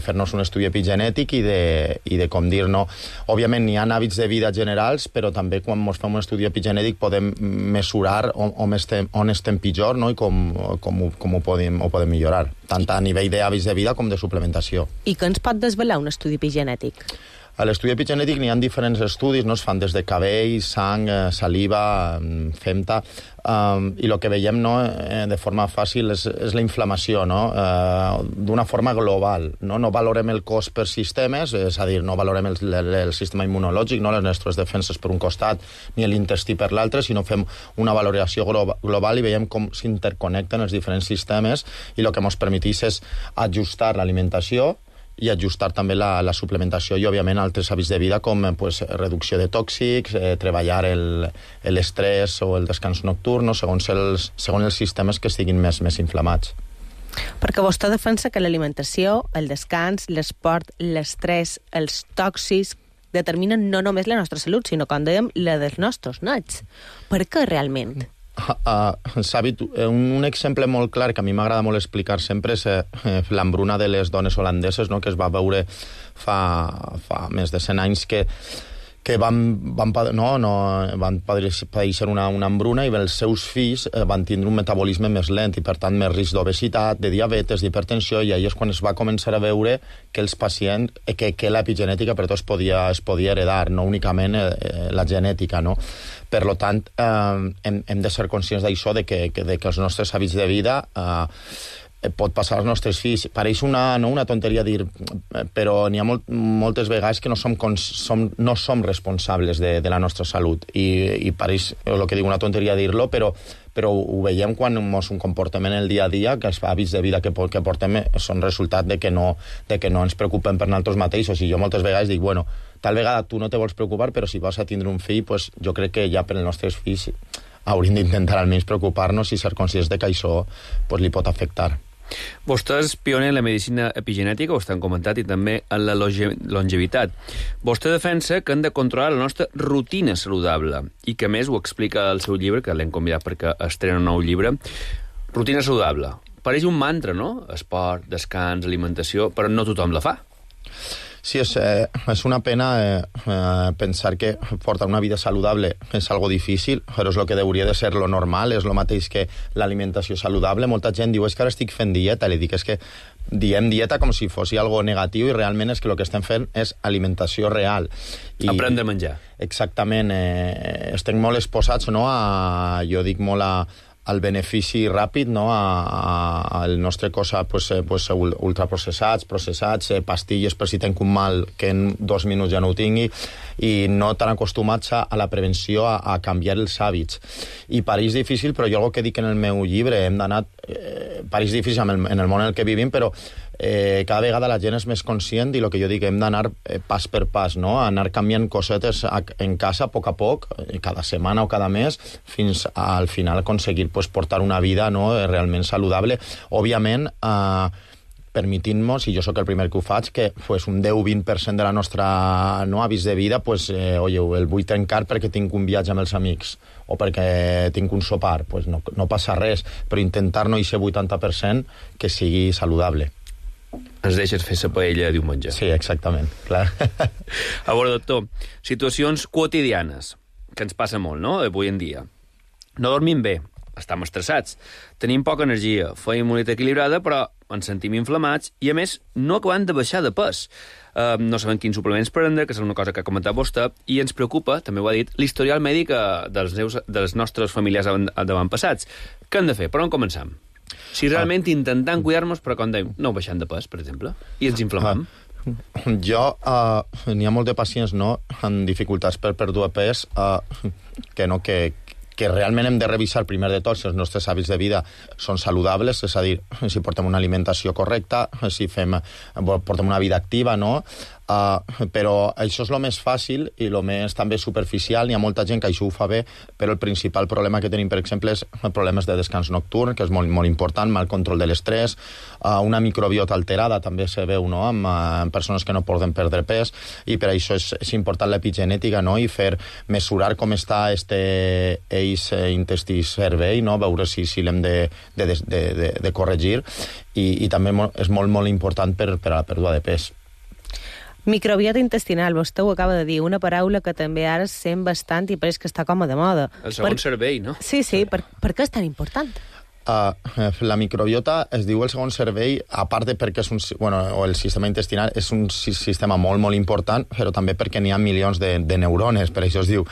fer-nos un estudi epigenètic i de com dir, no? Òbviament n'hi ha hàbits de vida generals, però també quan ens fem un estudi epigenètic podem mesurar on estem pitjor, no?, i com ho podem millorar, tant a nivell d'hàbits de vida com de suplementació. I què ens pot desvelar un estudi epigenètic? A l'estudi epigenètic n'hi ha diferents estudis, no? Es fan des de cabell, sang, saliva, femta, i el que veiem, no, de forma fàcil és la inflamació, no? D'una forma global, no? No valorem el cos per sistemes, és a dir, no valorem el sistema immunològic, no, les nostres defenses per un costat ni l'intestí per l'altre, sinó fem una valoració global i veiem com s'interconnecten els diferents sistemes, i el que ens permeteix és ajustar l'alimentació i ajustar també la suplementació i, òbviament, altres hàbits de vida com reducció de tòxics, treballar l'estrès o el descans nocturn, segons els sistemes que estiguin més inflamats. Perquè vostè defensa que l'alimentació, el descans, l'esport, l'estrès, els tòxics determinen no només la nostra salut, sinó, com dèiem, la dels nostres nets. Per què realment? Un exemple molt clar que a mi m'agrada molt explicar sempre és l'hambruna de les dones holandeses, no?, que es va veure fa més de 100 anys que van patir una hambruna i els seus fills van tindre un metabolisme més lent i, per tant, més risc d'obesitat, de diabetes, d'hipertensió, i ahir és quan es va començar a veure que els pacients, que l'epigenètica per tot es podia heredar, no únicament la genètica, no? Per tant, hem de ser conscients d'això, de que els nostres hàbits de vida pot passar als nostres fills. Pareix una tonteria dir, però n'hi ha moltes vegades que no som responsables de la nostra salut. I pareix, el que dic, una tonteria dir-lo, però ho veiem quan ens comportem en el dia a dia, que els hàbits de vida que portem són resultat de que no ens preocupem per nosaltres mateixos. I jo moltes vegades dic, bueno, tal vegada tu no te vols preocupar, però si vas a tindre un fill, pues jo crec que ja per els nostres fills hauríem d'intentar almenys preocupar-nos i ser conscients de que això li pot afectar. Vostè és pioner en la medicina epigenètica, ho estan comentat, i també en la longevitat. Vostè defensa que hem de controlar la nostra rutina saludable i que, a més, ho explica al seu llibre, que l'hem convidat perquè estrena un nou llibre. Rutina saludable. Pareix un mantra, no? Esport, descans, alimentació, però no tothom la fa. Sí, és una pena pensar que portar una vida saludable és algo difícil, però és el que hauria de ser lo normal, és el mateix que l'alimentació saludable. Molta gent diu, és que ara estic fent dieta, li dic, és que diem dieta com si fos algo negatiu i realment és que el que estem fent és alimentació real. Aprendre a menjar. Exactament, estem molt exposats, no? Jo dic molt al benefici ràpid, no? El nostre cos ultraprocessats, processats, pastilles per si tenc un mal que en 2 minuts ja no ho tingui, i no tan acostumats a la prevenció, a canviar els hàbits. I pareix difícil, però jo el que dic en el meu llibre, hem d'anar... Pareix difícil en el món en el que vivim, però cada vegada la gent és més conscient i el que jo dic, hem d'anar pas per pas, no? Anar canviant cosetes en casa a poc, cada setmana o cada mes, fins al final aconseguir portar una vida, no, realment saludable. Òbviament, permitint-nos, i jo sóc el primer que ho faig, que un 10-20% de la nostra hàbits de vida, el vull trencar perquè tinc un viatge amb els amics o perquè tinc un sopar, no passa res, però intentar no ser 80% que sigui saludable. Ens deixes fer la paella diumenge. Sí, exactament, clar. A veure, doctor, situacions quotidianes, que ens passa molt, no?, avui en dia. No dormim bé, estem estressats, tenim poca energia, feim una dieta equilibrada, però ens sentim inflamats i, a més, no acabem de baixar de pes. No sabem quins suplements prendre, que és una cosa que ha comentat vostè, i ens preocupa, també ho ha dit, l'historial mèdic dels nostres familiars avantpassats. Què hem de fer? Per on comencem? Si realment intentant cuidar-nos, però com dèiem, no baixant de pes, per exemple, i ens inflamem. N'hi ha molts de pacients, no?, amb dificultats per pèrdua de pes, que realment hem de revisar primer de tot si els nostres hàbits de vida són saludables, és a dir, si portem una alimentació correcta, si portem una vida activa, no? Però això és el més fàcil i el més també superficial. N'hi ha molta gent que això ho fa bé, però el principal problema que tenim, per exemple, és problemes de descans nocturn, que és molt, molt important, mal control de l'estrès, una microbiota alterada també se veu, no?, amb persones que no poden perdre pes, i per això és important l'epigenètica, no?, i mesurar com està eix intestí-cervell, no?, veure si l'hem de corregir, i també és molt, molt important per a la pèrdua de pes. Microbiota intestinal, vostè ho acaba de dir, una paraula que també ara sent bastant i pareix que està com a de moda. El segon cervell, no? Sí, per què és tan important? La microbiota es diu el segon cervell, a part de perquè el sistema intestinal és un sistema molt, molt important, però també perquè n'hi ha milions de neurones, per això es diu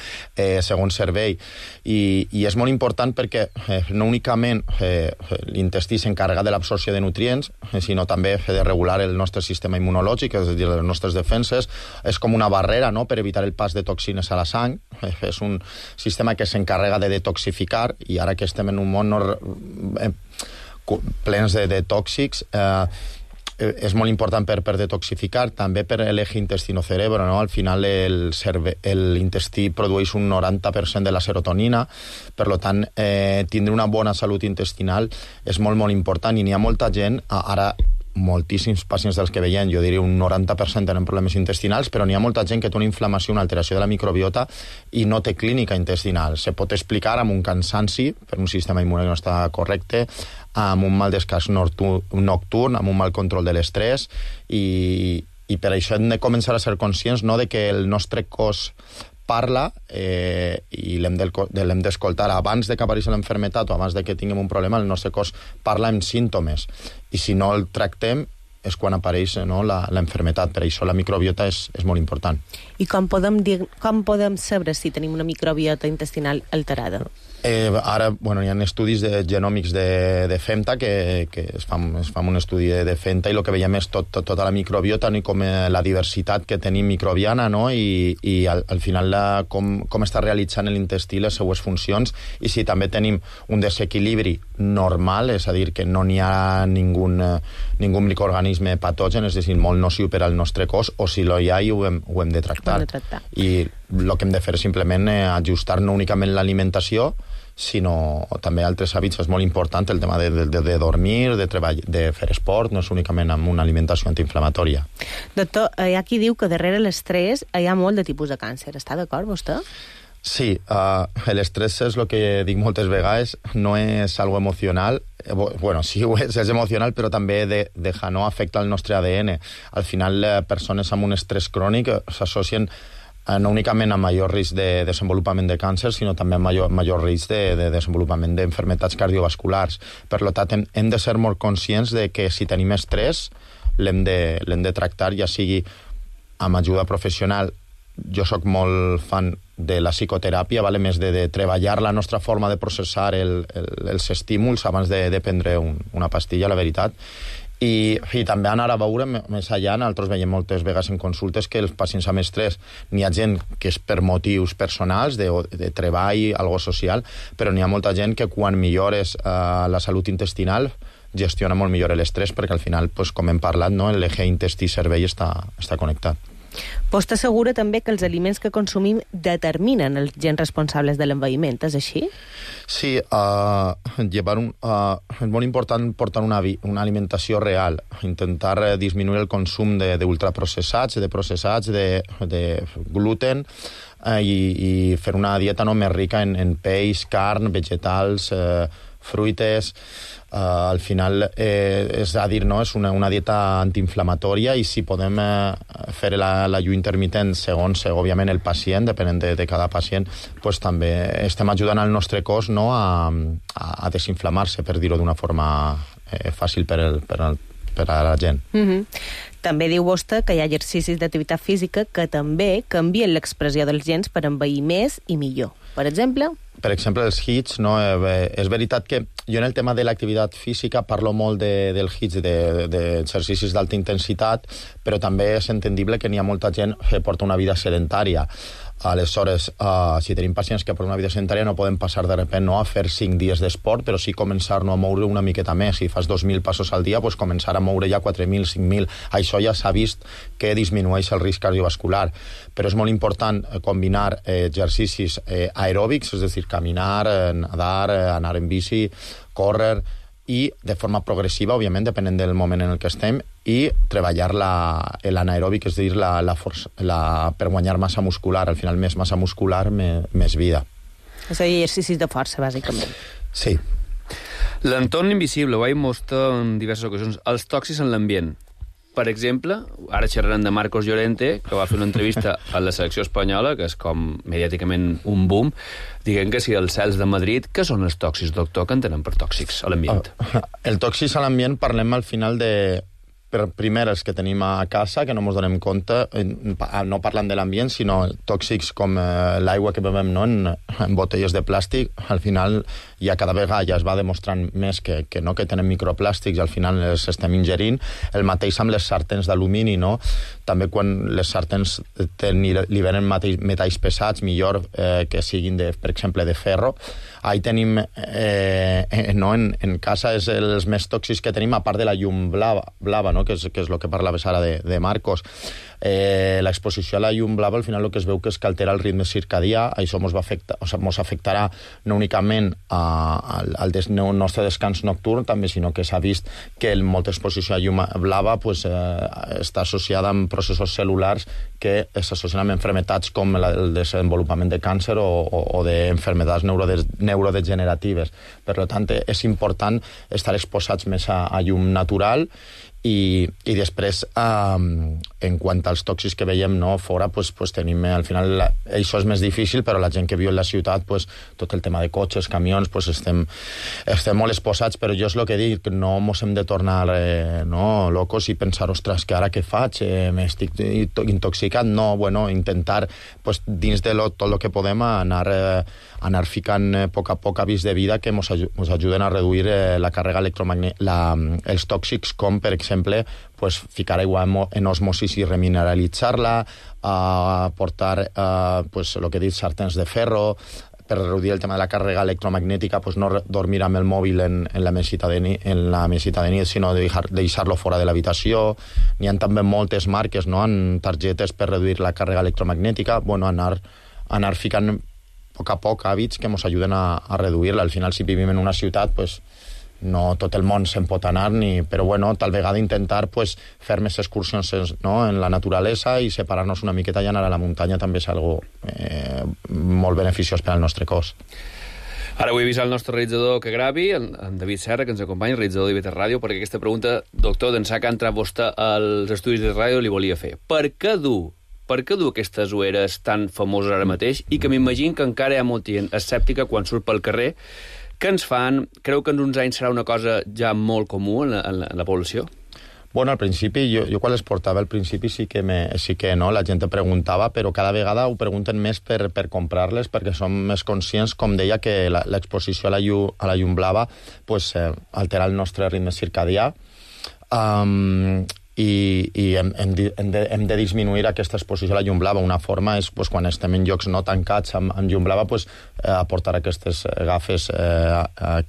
segon cervell. I és molt important perquè no únicament l'intestí s'encarrega de l'absorció de nutrients, sinó també de regular el nostre sistema immunològic, és a dir, les nostres defenses. És com una barrera, no?, per evitar el pas de toxines a la sang. És un sistema que s'encarrega de detoxificar, i ara que estem en un món plens de tòxics, és molt important per detoxificar, també per l'eje intestino-cerebro, no? Al final l'intestí produeix un 90% de la serotonina, per tant, tindre una bona salut intestinal és molt, molt important, i n'hi ha molta gent, ara moltíssims pacients dels que veiem, jo diria un 90% tenen problemes intestinals, però n'hi ha molta gent que té una inflamació, una alteració de la microbiota i no té clínica intestinal. Se pot explicar amb un cansanci per un sistema immune que no està correcte, amb un mal descans nocturn, amb un mal control de l'estrès, i per això hem de començar a ser conscients, no?, de que el nostre cos parla, i l'hem d'escoltar abans de que apareixi l'enfermetat o abans de que tinguem un problema. El nostre cos parla amb símptomes, i si no el tractem és quan apareix, no?, l'enfermetat. Per això la microbiota és molt important. I com podem saber si tenim una microbiota intestinal alterada? Ara, hi ha estudis genòmics de femta, que es fa un estudi de femta, i el que veiem és tota la microbiota, i com la diversitat que tenim microbiana, no?, i al final com està realitzant l'intestí les seues funcions, i si també tenim un desequilibri normal, és a dir, que no n'hi ha ningú microorganisme organisme patogen, és a dir, molt nociu per al nostre cos, o si no hi ha, ho hem de tractar. I el que hem de fer és simplement ajustar no únicament l'alimentació, sinó també altres hàbits. És molt important el tema de dormir, de treballar, de fer esport, no és únicament amb una alimentació antiinflamatòria. Doctor, hi ha qui diu que darrere l'estrès hi ha molt de tipus de càncer. Està d'acord, vostè? Sí, l'estrès és el que dic moltes vegades, no és algo emocional. Bueno, sí ho és emocional, però també no afecta el nostre ADN. Al final, persones amb un estrès crònic s'associen no únicament amb major risc de desenvolupament de càncer, sinó també amb major risc de desenvolupament d'enfermetats cardiovasculars. Per tant, hem de ser molt conscients de que si tenim estrès, l'hem de tractar, ja sigui amb ajuda professional. Jo sóc molt fan de la psicoteràpia, més de treballar la nostra forma de processar els estímuls abans de prendre una pastilla, la veritat. I també anar a veure més allà. Nosaltres veiem moltes vegades en consultes que els pacients amb estrès, n'hi ha gent que és per motius personals, de treball, algo social, però n'hi ha molta gent que quan millores la salut intestinal gestiona molt millor l'estrès, perquè al final, com hem parlat, l'eje intestí-cervell està connectat. Vostè assegura també que els aliments que consumim determinen els gens responsables de l'envelliment, és així? Sí, és molt important portar una alimentació real, intentar disminuir el consum d'ultraprocessats, de processats, de gluten, i fer una dieta més rica en peix, carn, vegetals, fruites. Al final és a dir, és una dieta antiinflamatòria, i si podem fer l'ajut intermitent segons, òbviament, el pacient, depenent de cada pacient, també estem ajudant el nostre cos a desinflamar-se, per dir-ho d'una forma fàcil per a la gent. També diu vostè que hi ha exercicis d'activitat física que també canvien l'expressió dels gens per envellir més i millor. Per exemple, els HIITs, és veritat que jo en el tema de l'activitat física parlo molt del HIITs, d'exercicis d'alta intensitat, però també és entendible que n'hi ha molta gent que porta una vida sedentària. Aleshores, si tenim pacients que per una vida sedentària no podem passar de repent a fer 5 dies d'esport, però sí començar a moure una miqueta més. Si fas 2.000 passos al dia, començar a moure ja 4.000, 5.000. Això ja s'ha vist que disminueix el risc cardiovascular. Però és molt important combinar exercicis aeròbics, és a dir, caminar, nadar, anar en bici, córrer, i de forma progressiva, òbviament, depenent del moment en el que estem, i treballar l'anaeròbic, és a dir, per guanyar massa muscular. Al final, més massa muscular, més vida. És a dir, exercicis de força, bàsicament. Sí. L'entorn invisible, ho he mostrat en diverses ocasions, els tòxics en l'ambient. Per exemple, ara xerrarem de Marcos Llorente, que va fer una entrevista a la selecció espanyola, que és com mediàticament un boom, dient que si els cels de Madrid, què són els tòxics, doctor, que entenen per tòxics a l'ambient? El tòxics a l'ambient parlem al final de... Primer, els que tenim a casa, que no ens donem compte, no parlant de l'ambient, sinó tòxics com l'aigua que bevem en botelles de plàstic. Al final, ja cada vegada ja es va demostrant més que tenen microplàstics, i al final els estem ingerint. El mateix amb les sartens d'alumini, no? També quan les sartens liberen metalls pesats, millor que siguin, per exemple, de ferro. Ahí tenim, en casa, és els més tòxics que tenim, a part de la llum blava, no? Que és el que parlaves ara de Marcos. L'exposició a la llum blava, al final el que es veu que és que altera el ritme circadià. Això ens afectarà no únicament al nostre descans nocturn, també, sinó que s'ha vist que molta exposició a llum blava està associada amb processos cel·lulars que s'associen amb malalties com el desenvolupament de càncer o d'enfermedats neurodegeneratives. Per tant, és important estar exposats més a llum natural. I després, en quant als tòxics que veiem fora, tenim, al final, això és més difícil, però la gent que viu en la ciutat, tot el tema de cotxes, camions, estem molt exposats, però jo és el que dic, no ens hem de tornar locos i pensar, ostres, que ara què faig? M'estic intoxicat? No, intentar, dins de tot el que podem, anar ficant a poc hàbits de vida que ens ajuden a reduir la càrrega electromagnètica, els tòxics, com, per exemple, ficar aigua en osmosis i remineralitzar-la, portar, el que he dit, sartens de ferro, per reduir el tema de la càrrega electromagnètica, pues no dormir amb el mòbil en la mesita de nit, sinó deixar-lo fora de l'habitació. N'hi ha també moltes marques, no?, en targetes per reduir la càrrega electromagnètica. Bueno, anar ficant a poc hàbits que ens ajuden a reduir-la. Al final, si vivim en una ciutat, pues no tot el món se'n pot anar, però bueno, tal vegada intentar pues, fer més excursions, no?, en la naturalesa i separar-nos una miqueta i anar a la muntanya també és algo molt beneficiós per al nostre cos. Ara vull avisar el nostre realitzador que gravi, en David Serra, que ens acompanya, el realitzador d'IV3 Ràdio, perquè aquesta pregunta, doctor, d'ençà que ha entrat vostè als estudis de ràdio, li volia fer. Per què dur aquestes ulleres tan famoses ara mateix i que m'imagino que encara hi ha molta gent escèptica quan surt pel carrer? Què ens fan? Creu que en uns anys serà una cosa ja molt comú en la població? Bueno, al principi, jo quan les portava al principi sí que no, la gent preguntava, però cada vegada ho pregunten més per comprar-les, perquè som més conscients, com deia, que l'exposició a la llum blava pues, altera el nostre ritme circadià, i hem de disminuir aquesta exposició a la llum blava. Una forma és, pues, quan estem en llocs no tancats amb llum blava, pues, aportar aquestes gafes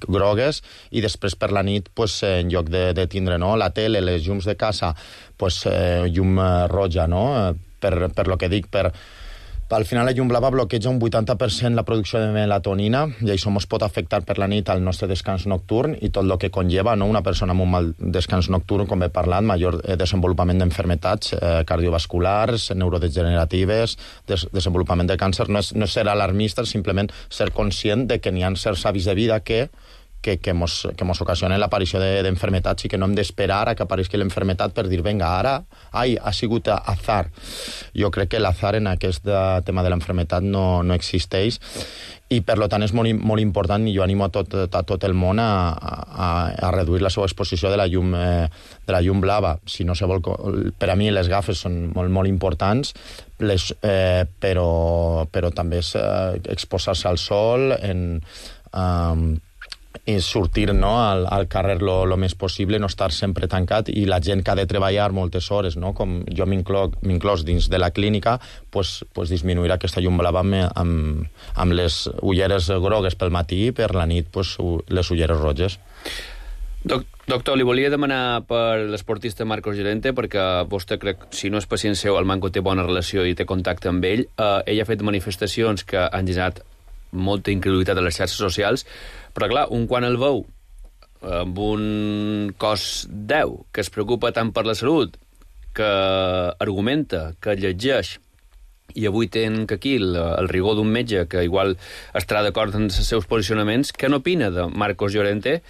grogues, i després per la nit, pues, en lloc de tindre, no?, la tele, les llums de casa, pues, llum roja, no?, per lo que dic, al final la llum blava bloqueja un 80% la producció de melatonina i això ens pot afectar per la nit al nostre descans nocturn i tot el que conlleva, no? Una persona amb un mal descans nocturn, com he parlat, major desenvolupament d'enfermetats cardiovasculars, neurodegeneratives, desenvolupament de càncer. No és ser alarmista, simplement ser conscient de que n'hi ha certs hàbits de vida que mos ocasionen l'aparició d'enfermetats i que no hem d'esperar a que apareixi l'enfermetat per dir, vinga, ara, ha sigut azar. Jo crec que l'azar en aquest tema de l'enfermetat no existeix i, per tant, és molt important i jo animo a tot el món a reduir la seva exposició de la llum blava. Si no se vol, per a mi les gafes són molt importants, però també és exposar-se al sol, i sortir, no?, al carrer lo més possible, no estar sempre tancat, i la gent que ha de treballar moltes hores, no?, com jo m'inclòs dins de la clínica, pues disminuir aquesta llum blava amb les ulleres grogues pel matí i per la nit pues, les ulleres roges. Doctor, li volia demanar per l'esportista Marcos Llorente, perquè vostè, crec, si no és pacient seu, el Manco té bona relació i té contacte amb ell. Ell ha fet manifestacions que han generat molta incredulitat a les xarxes socials, però clar, quan el veu amb un cos 10 que es preocupa tant per la salut, que argumenta, que llegeix, i avui tenen aquí el rigor d'un metge que igual estarà d'acord amb els seus posicionaments, què n'opina de Marcos Llorente,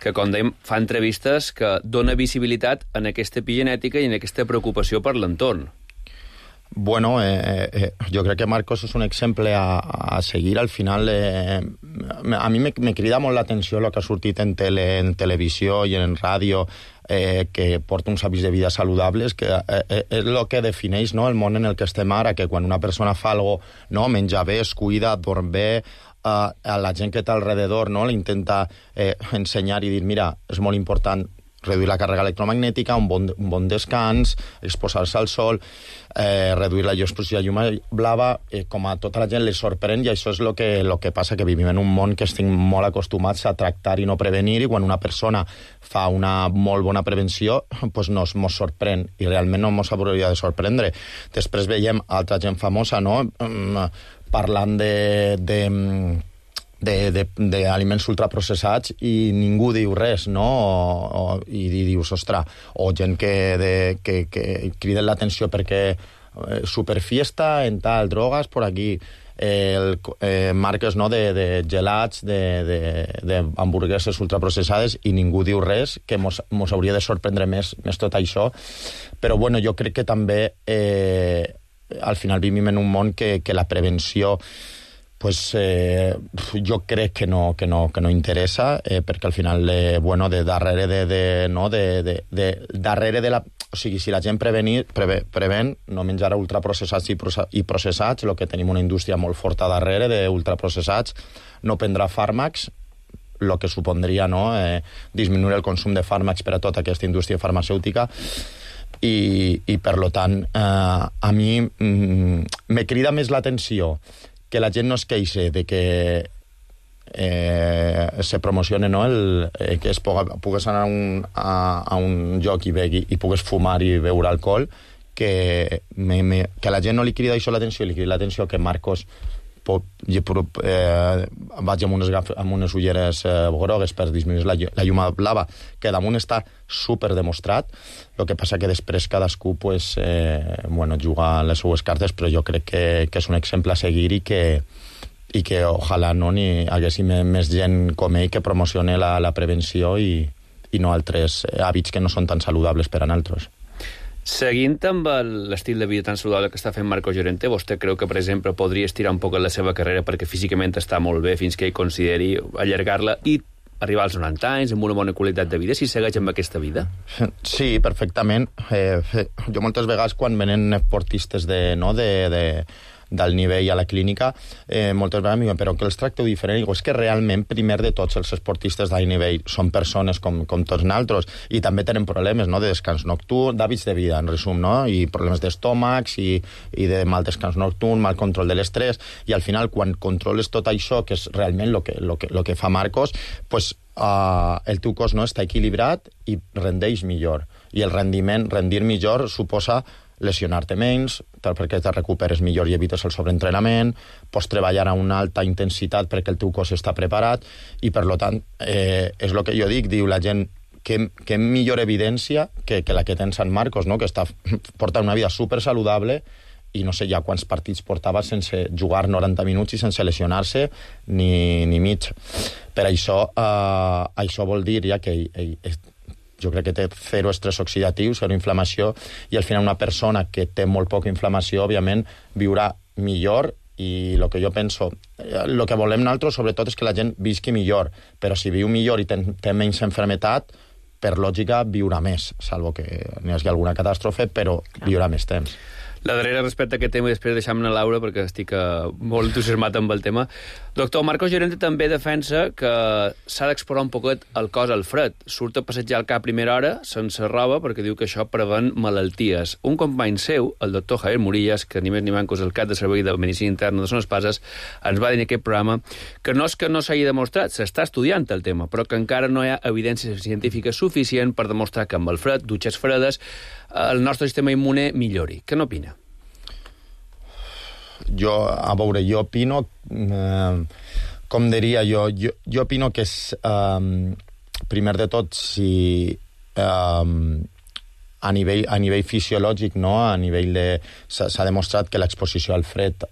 que, com dèiem, fa entrevistes que dona visibilitat en aquesta epigenètica i en aquesta preocupació per l'entorn? Bueno, jo crec que Marcos és un exemple a seguir. Al final, a mi me crida molt l'atenció el que ha sortit en televisió i en ràdio, que porta uns hàbits de vida saludables, que és el que defineix, no?, el món en el que estem ara, que quan una persona fa alguna cosa, no?, menja bé, es cuida, dorm bé, a la gent que té alrededor, no?, l'intenta ensenyar i dir, mira, és molt important reduir la càrrega electromagnètica, un bon descans, exposar-se al sol, reduir la exposició a llum blava, com a tota la gent li sorprèn, i això és el que passa, que vivim en un món que estem molt acostumats a tractar i no prevenir, i quan una persona fa una molt bona prevenció, pues mos sorprèn, i realment no mos hauria de sorprendre. Després veiem altra gent famosa, no?, parlant d'aliments ultraprocessats i ningú diu res, no? I dius, ostres, o gent que criden l'atenció perquè superfiesta en tal, drogas por aquí, marques, no?, de gelats, d'hamburgueses ultraprocessades, i ningú diu res, que mos hauria de sorprendre més tot això. Però bueno, jo crec que també al final vivim en un món que la prevenció pues jo crec que no interessa, perquè al final, bueno, darrere de la... O sigui, si la gent prevén, no menjarà ultraprocessats i processats, el que tenim una indústria molt forta darrere d'ultraprocessats, no prendrà fàrmacs, el que supondria, no?, disminuir el consum de fàrmacs per a tota aquesta indústria farmacèutica, i per tant, a mi me crida més l'atenció que la gent no es queixe de que se promocione, no? Que es pugues anar a un lloc i pugues fumar i beure alcohol, que la gent no li crida això l'atenció, li crida l'atenció que Marcos vaig amb unes ulleres grogues per disminuir la llum blava, que damunt està super demostrat. El que passa que després cadascú juga les seues cartes, però jo crec que és un exemple a seguir i que ojalà no n'hi haguessi més gent com ell que promocione la prevenció i no altres hàbits que no són tan saludables per a nosaltres. Seguint amb l'estil de vida tan saludable que està fent Marcos Llorente, vostè creu que, per exemple, podria estirar un poc la seva carrera perquè físicament està molt bé fins que ell consideri allargar-la i arribar als 90 anys amb una bona qualitat de vida, si segueix amb aquesta vida? Sí, perfectament. Jo moltes vegades, quan venen esportistes del nivell a la clínica, moltes vegades em diuen, però que els tracteu diferent? I dic, és que realment, primer de tots, els esportistes d'alt nivell són persones com tots nosaltres, i també tenen problemes, no?, de descans nocturn, d'hàbits de vida, en resum, no?, i problemes d'estómacs, i de mal descans nocturn, mal control de l'estrès, i al final, quan controles tot això, que és realment el que fa Marcos, el teu cos no està equilibrat i rendeix millor. I el rendir millor suposa lesionar-te menys, perquè te recuperes millor i evites el sobreentrenament, pots treballar a una alta intensitat perquè el teu cos està preparat, i per tant, és el que jo dic, diu la gent, que millor evidència que la que té en Sant Marcos, no?, que porta una vida super saludable, i no sé ja quants partits portava sense jugar 90 minuts i sense lesionar-se ni mig. Per això vol dir ja que jo crec que té zero estrès oxidatiu, zero inflamació, i al final una persona que té molt poca inflamació, òbviament, viurà millor, i el que jo penso, el que volem nosaltres, sobretot, és que la gent visqui millor, però si viu millor i té menys enfermetat, per lògica viurà més, salvo que n'hi hagi alguna catàstrofe, però viurà més temps. La darrera respecte a aquest tema, i després deixam-ne Laura, perquè estic molt entusiasmat amb el tema. Doctor, Marcos Llorente també defensa que s'ha d'explorar un poquet el cos al fred. Surt a passejar al cap a primera hora, sense roba, perquè diu que això prevent malalties. Un company seu, el doctor Javier Murillas, que ni més ni manco és el cap de servei de medicina interna de Son Espases, ens va dir en aquest programa que no és que no s'hagi demostrat, s'està estudiant el tema, però que encara no hi ha evidència científica suficient per demostrar que amb el fred, dutxes fredes, el nostre sistema immune millori. Què n'opina? Jo opino, com diria jo opino que és, primer de tot, si a nivell fisiològic, no? S'ha demostrat que l'exposició al fred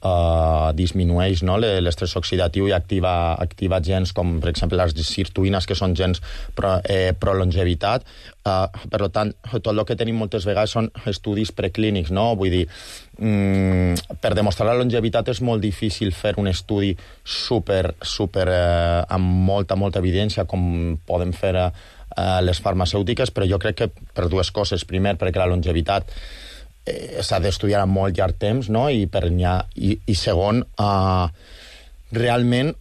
disminueix, no?, l'estrès oxidatiu i activa gens com, per exemple, les sirtuïnes, que són gens pro-longevitat. Per tant, tot el que tenim moltes vegades són estudis preclínics, no? Vull dir, per demostrar la longevitat és molt difícil fer un estudi super amb molta evidència, com poden fer les farmacèutiques, però jo crec que per dues coses. Primer, perquè la longevitat s'ha d'estudiar a molt llarg temps, no? I segon, realment,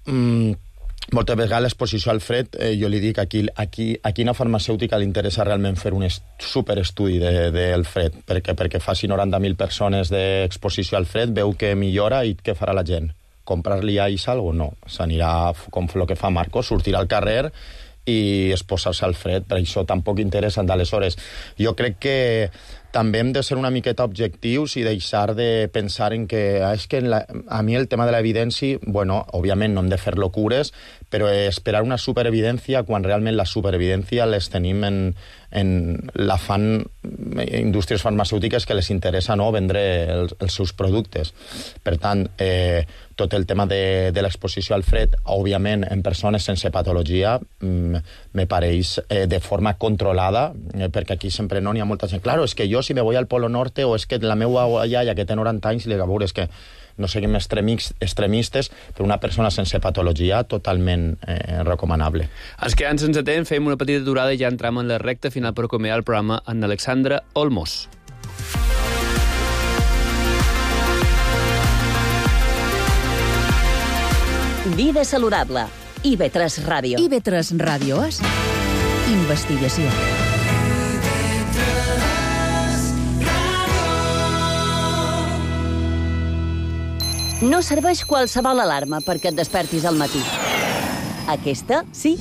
moltes vegades l'exposició al fred, jo li dic, a quina farmacèutica li interessa realment fer un superestudi del fred, perquè faci 90.000 persones d'exposició al fred, veu que millora, i què farà la gent? Comprar-li a ells alguna cosa? No. S'anirà, com el que fa Marcos, sortirà al carrer i exposar-se al fred, per això tampoc interessa. D'aleshores, jo crec que també hem de ser una miqueta objectius i deixar de pensar en que és que a mi el tema de l'evidència, bueno, òbviament no hem de fer locures, però esperar una superevidència quan realment la superevidència les tenim la fan indústries farmacèutiques que les interessa, no?, vendre els seus productes. Per tant, tot el tema de l'exposició al fred, òbviament, en persones sense patologia, me pareix de forma controlada, perquè aquí sempre no n'hi ha molta gent. Claro, és que jo si me voy al Polo Norte, o és que la meva iaia que té 90 anys, li dic, a veure, és que no seguim extremistes, però una persona sense patologia totalment recomanable. Ens quedem sense temps, fem una petita aturada i ja entram en la recta final per acomiadar el programa amb Alexandra Olmos. Vida saludable. IB3 Ràdio. IB3 Ràdio és investigació. No serveix qualsevol alarma perquè et despertis al matí. Aquesta, sí.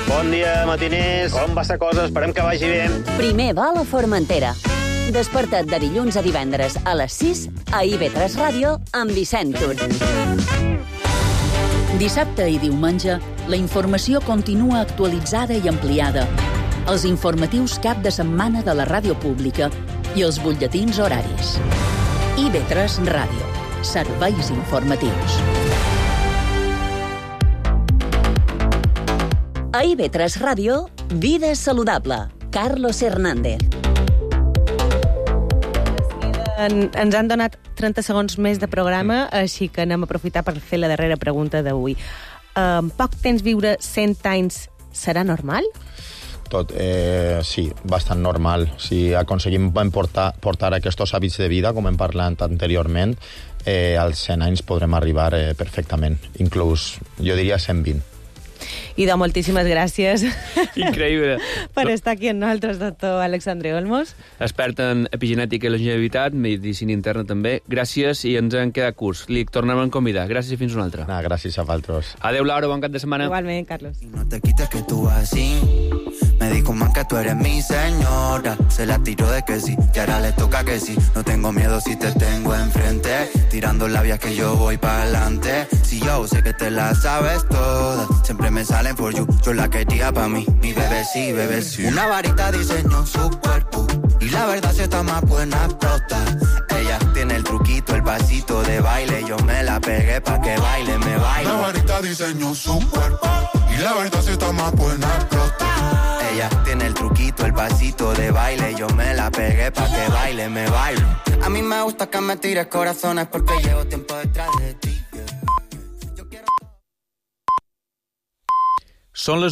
Bon dia, matiners. Com va la cosa? Esperem que vagi bé. Primer va a la Formentera. Desperta't de dilluns a divendres a les 6 a IB3 Ràdio amb Vicent Tur. Dissabte i diumenge, la informació continua actualitzada i ampliada. Els informatius cap de setmana de la ràdio pública i els butlletins horaris. IB3 Ràdio. Serveis informatius. A IB3 Ràdio, Vida Saludable. Carlos Hernández. Ens han donat 30 segons més de programa, així que anem a aprofitar per fer la darrera pregunta d'avui. En poc temps viure 100 anys serà normal? Sí, bastant normal. Si aconseguim portar aquests hàbits de vida, com hem parlat anteriorment, als 100 anys podrem arribar perfectament. Inclús, jo diria 120. Idò, moltíssimes gràcies. Increïble. Per estar aquí amb nosaltres, doctor Alexandre Olmos. Expert en epigenètica i longevitat, medicina interna també. Gràcies i ens han quedat curts. Li tornem a convidar. Gràcies i fins una altra. Gràcies a vosaltres. Adéu, Laura, bon cap de setmana. Igualment, Carlos. No te quites que tú así. Me dijo man que tú eres mi señora. Se la tiró de que sí, y ahora le toca que sí. No tengo miedo si te tengo enfrente. Tirando labias que yo voy para adelante. Si yo sé que te la sabes toda. Siempre me salen for you. Yo la quería pa' mí. Mi bebé sí, bebé sí. Una varita diseñó su cuerpo. Y la verdad si está más buena explota. Ella tiene el truquito, el pasito de baile. Yo me la pegué pa' que baile, me baile. Una varita diseñó su cuerpo. Y la verdad si está más buena explota. Ella tiene el truquito, el pasito de baile. Yo me la pegué pa' que baile, me baile. A mí me gusta que me tires corazones porque llevo tiempo detrás de ti. Són les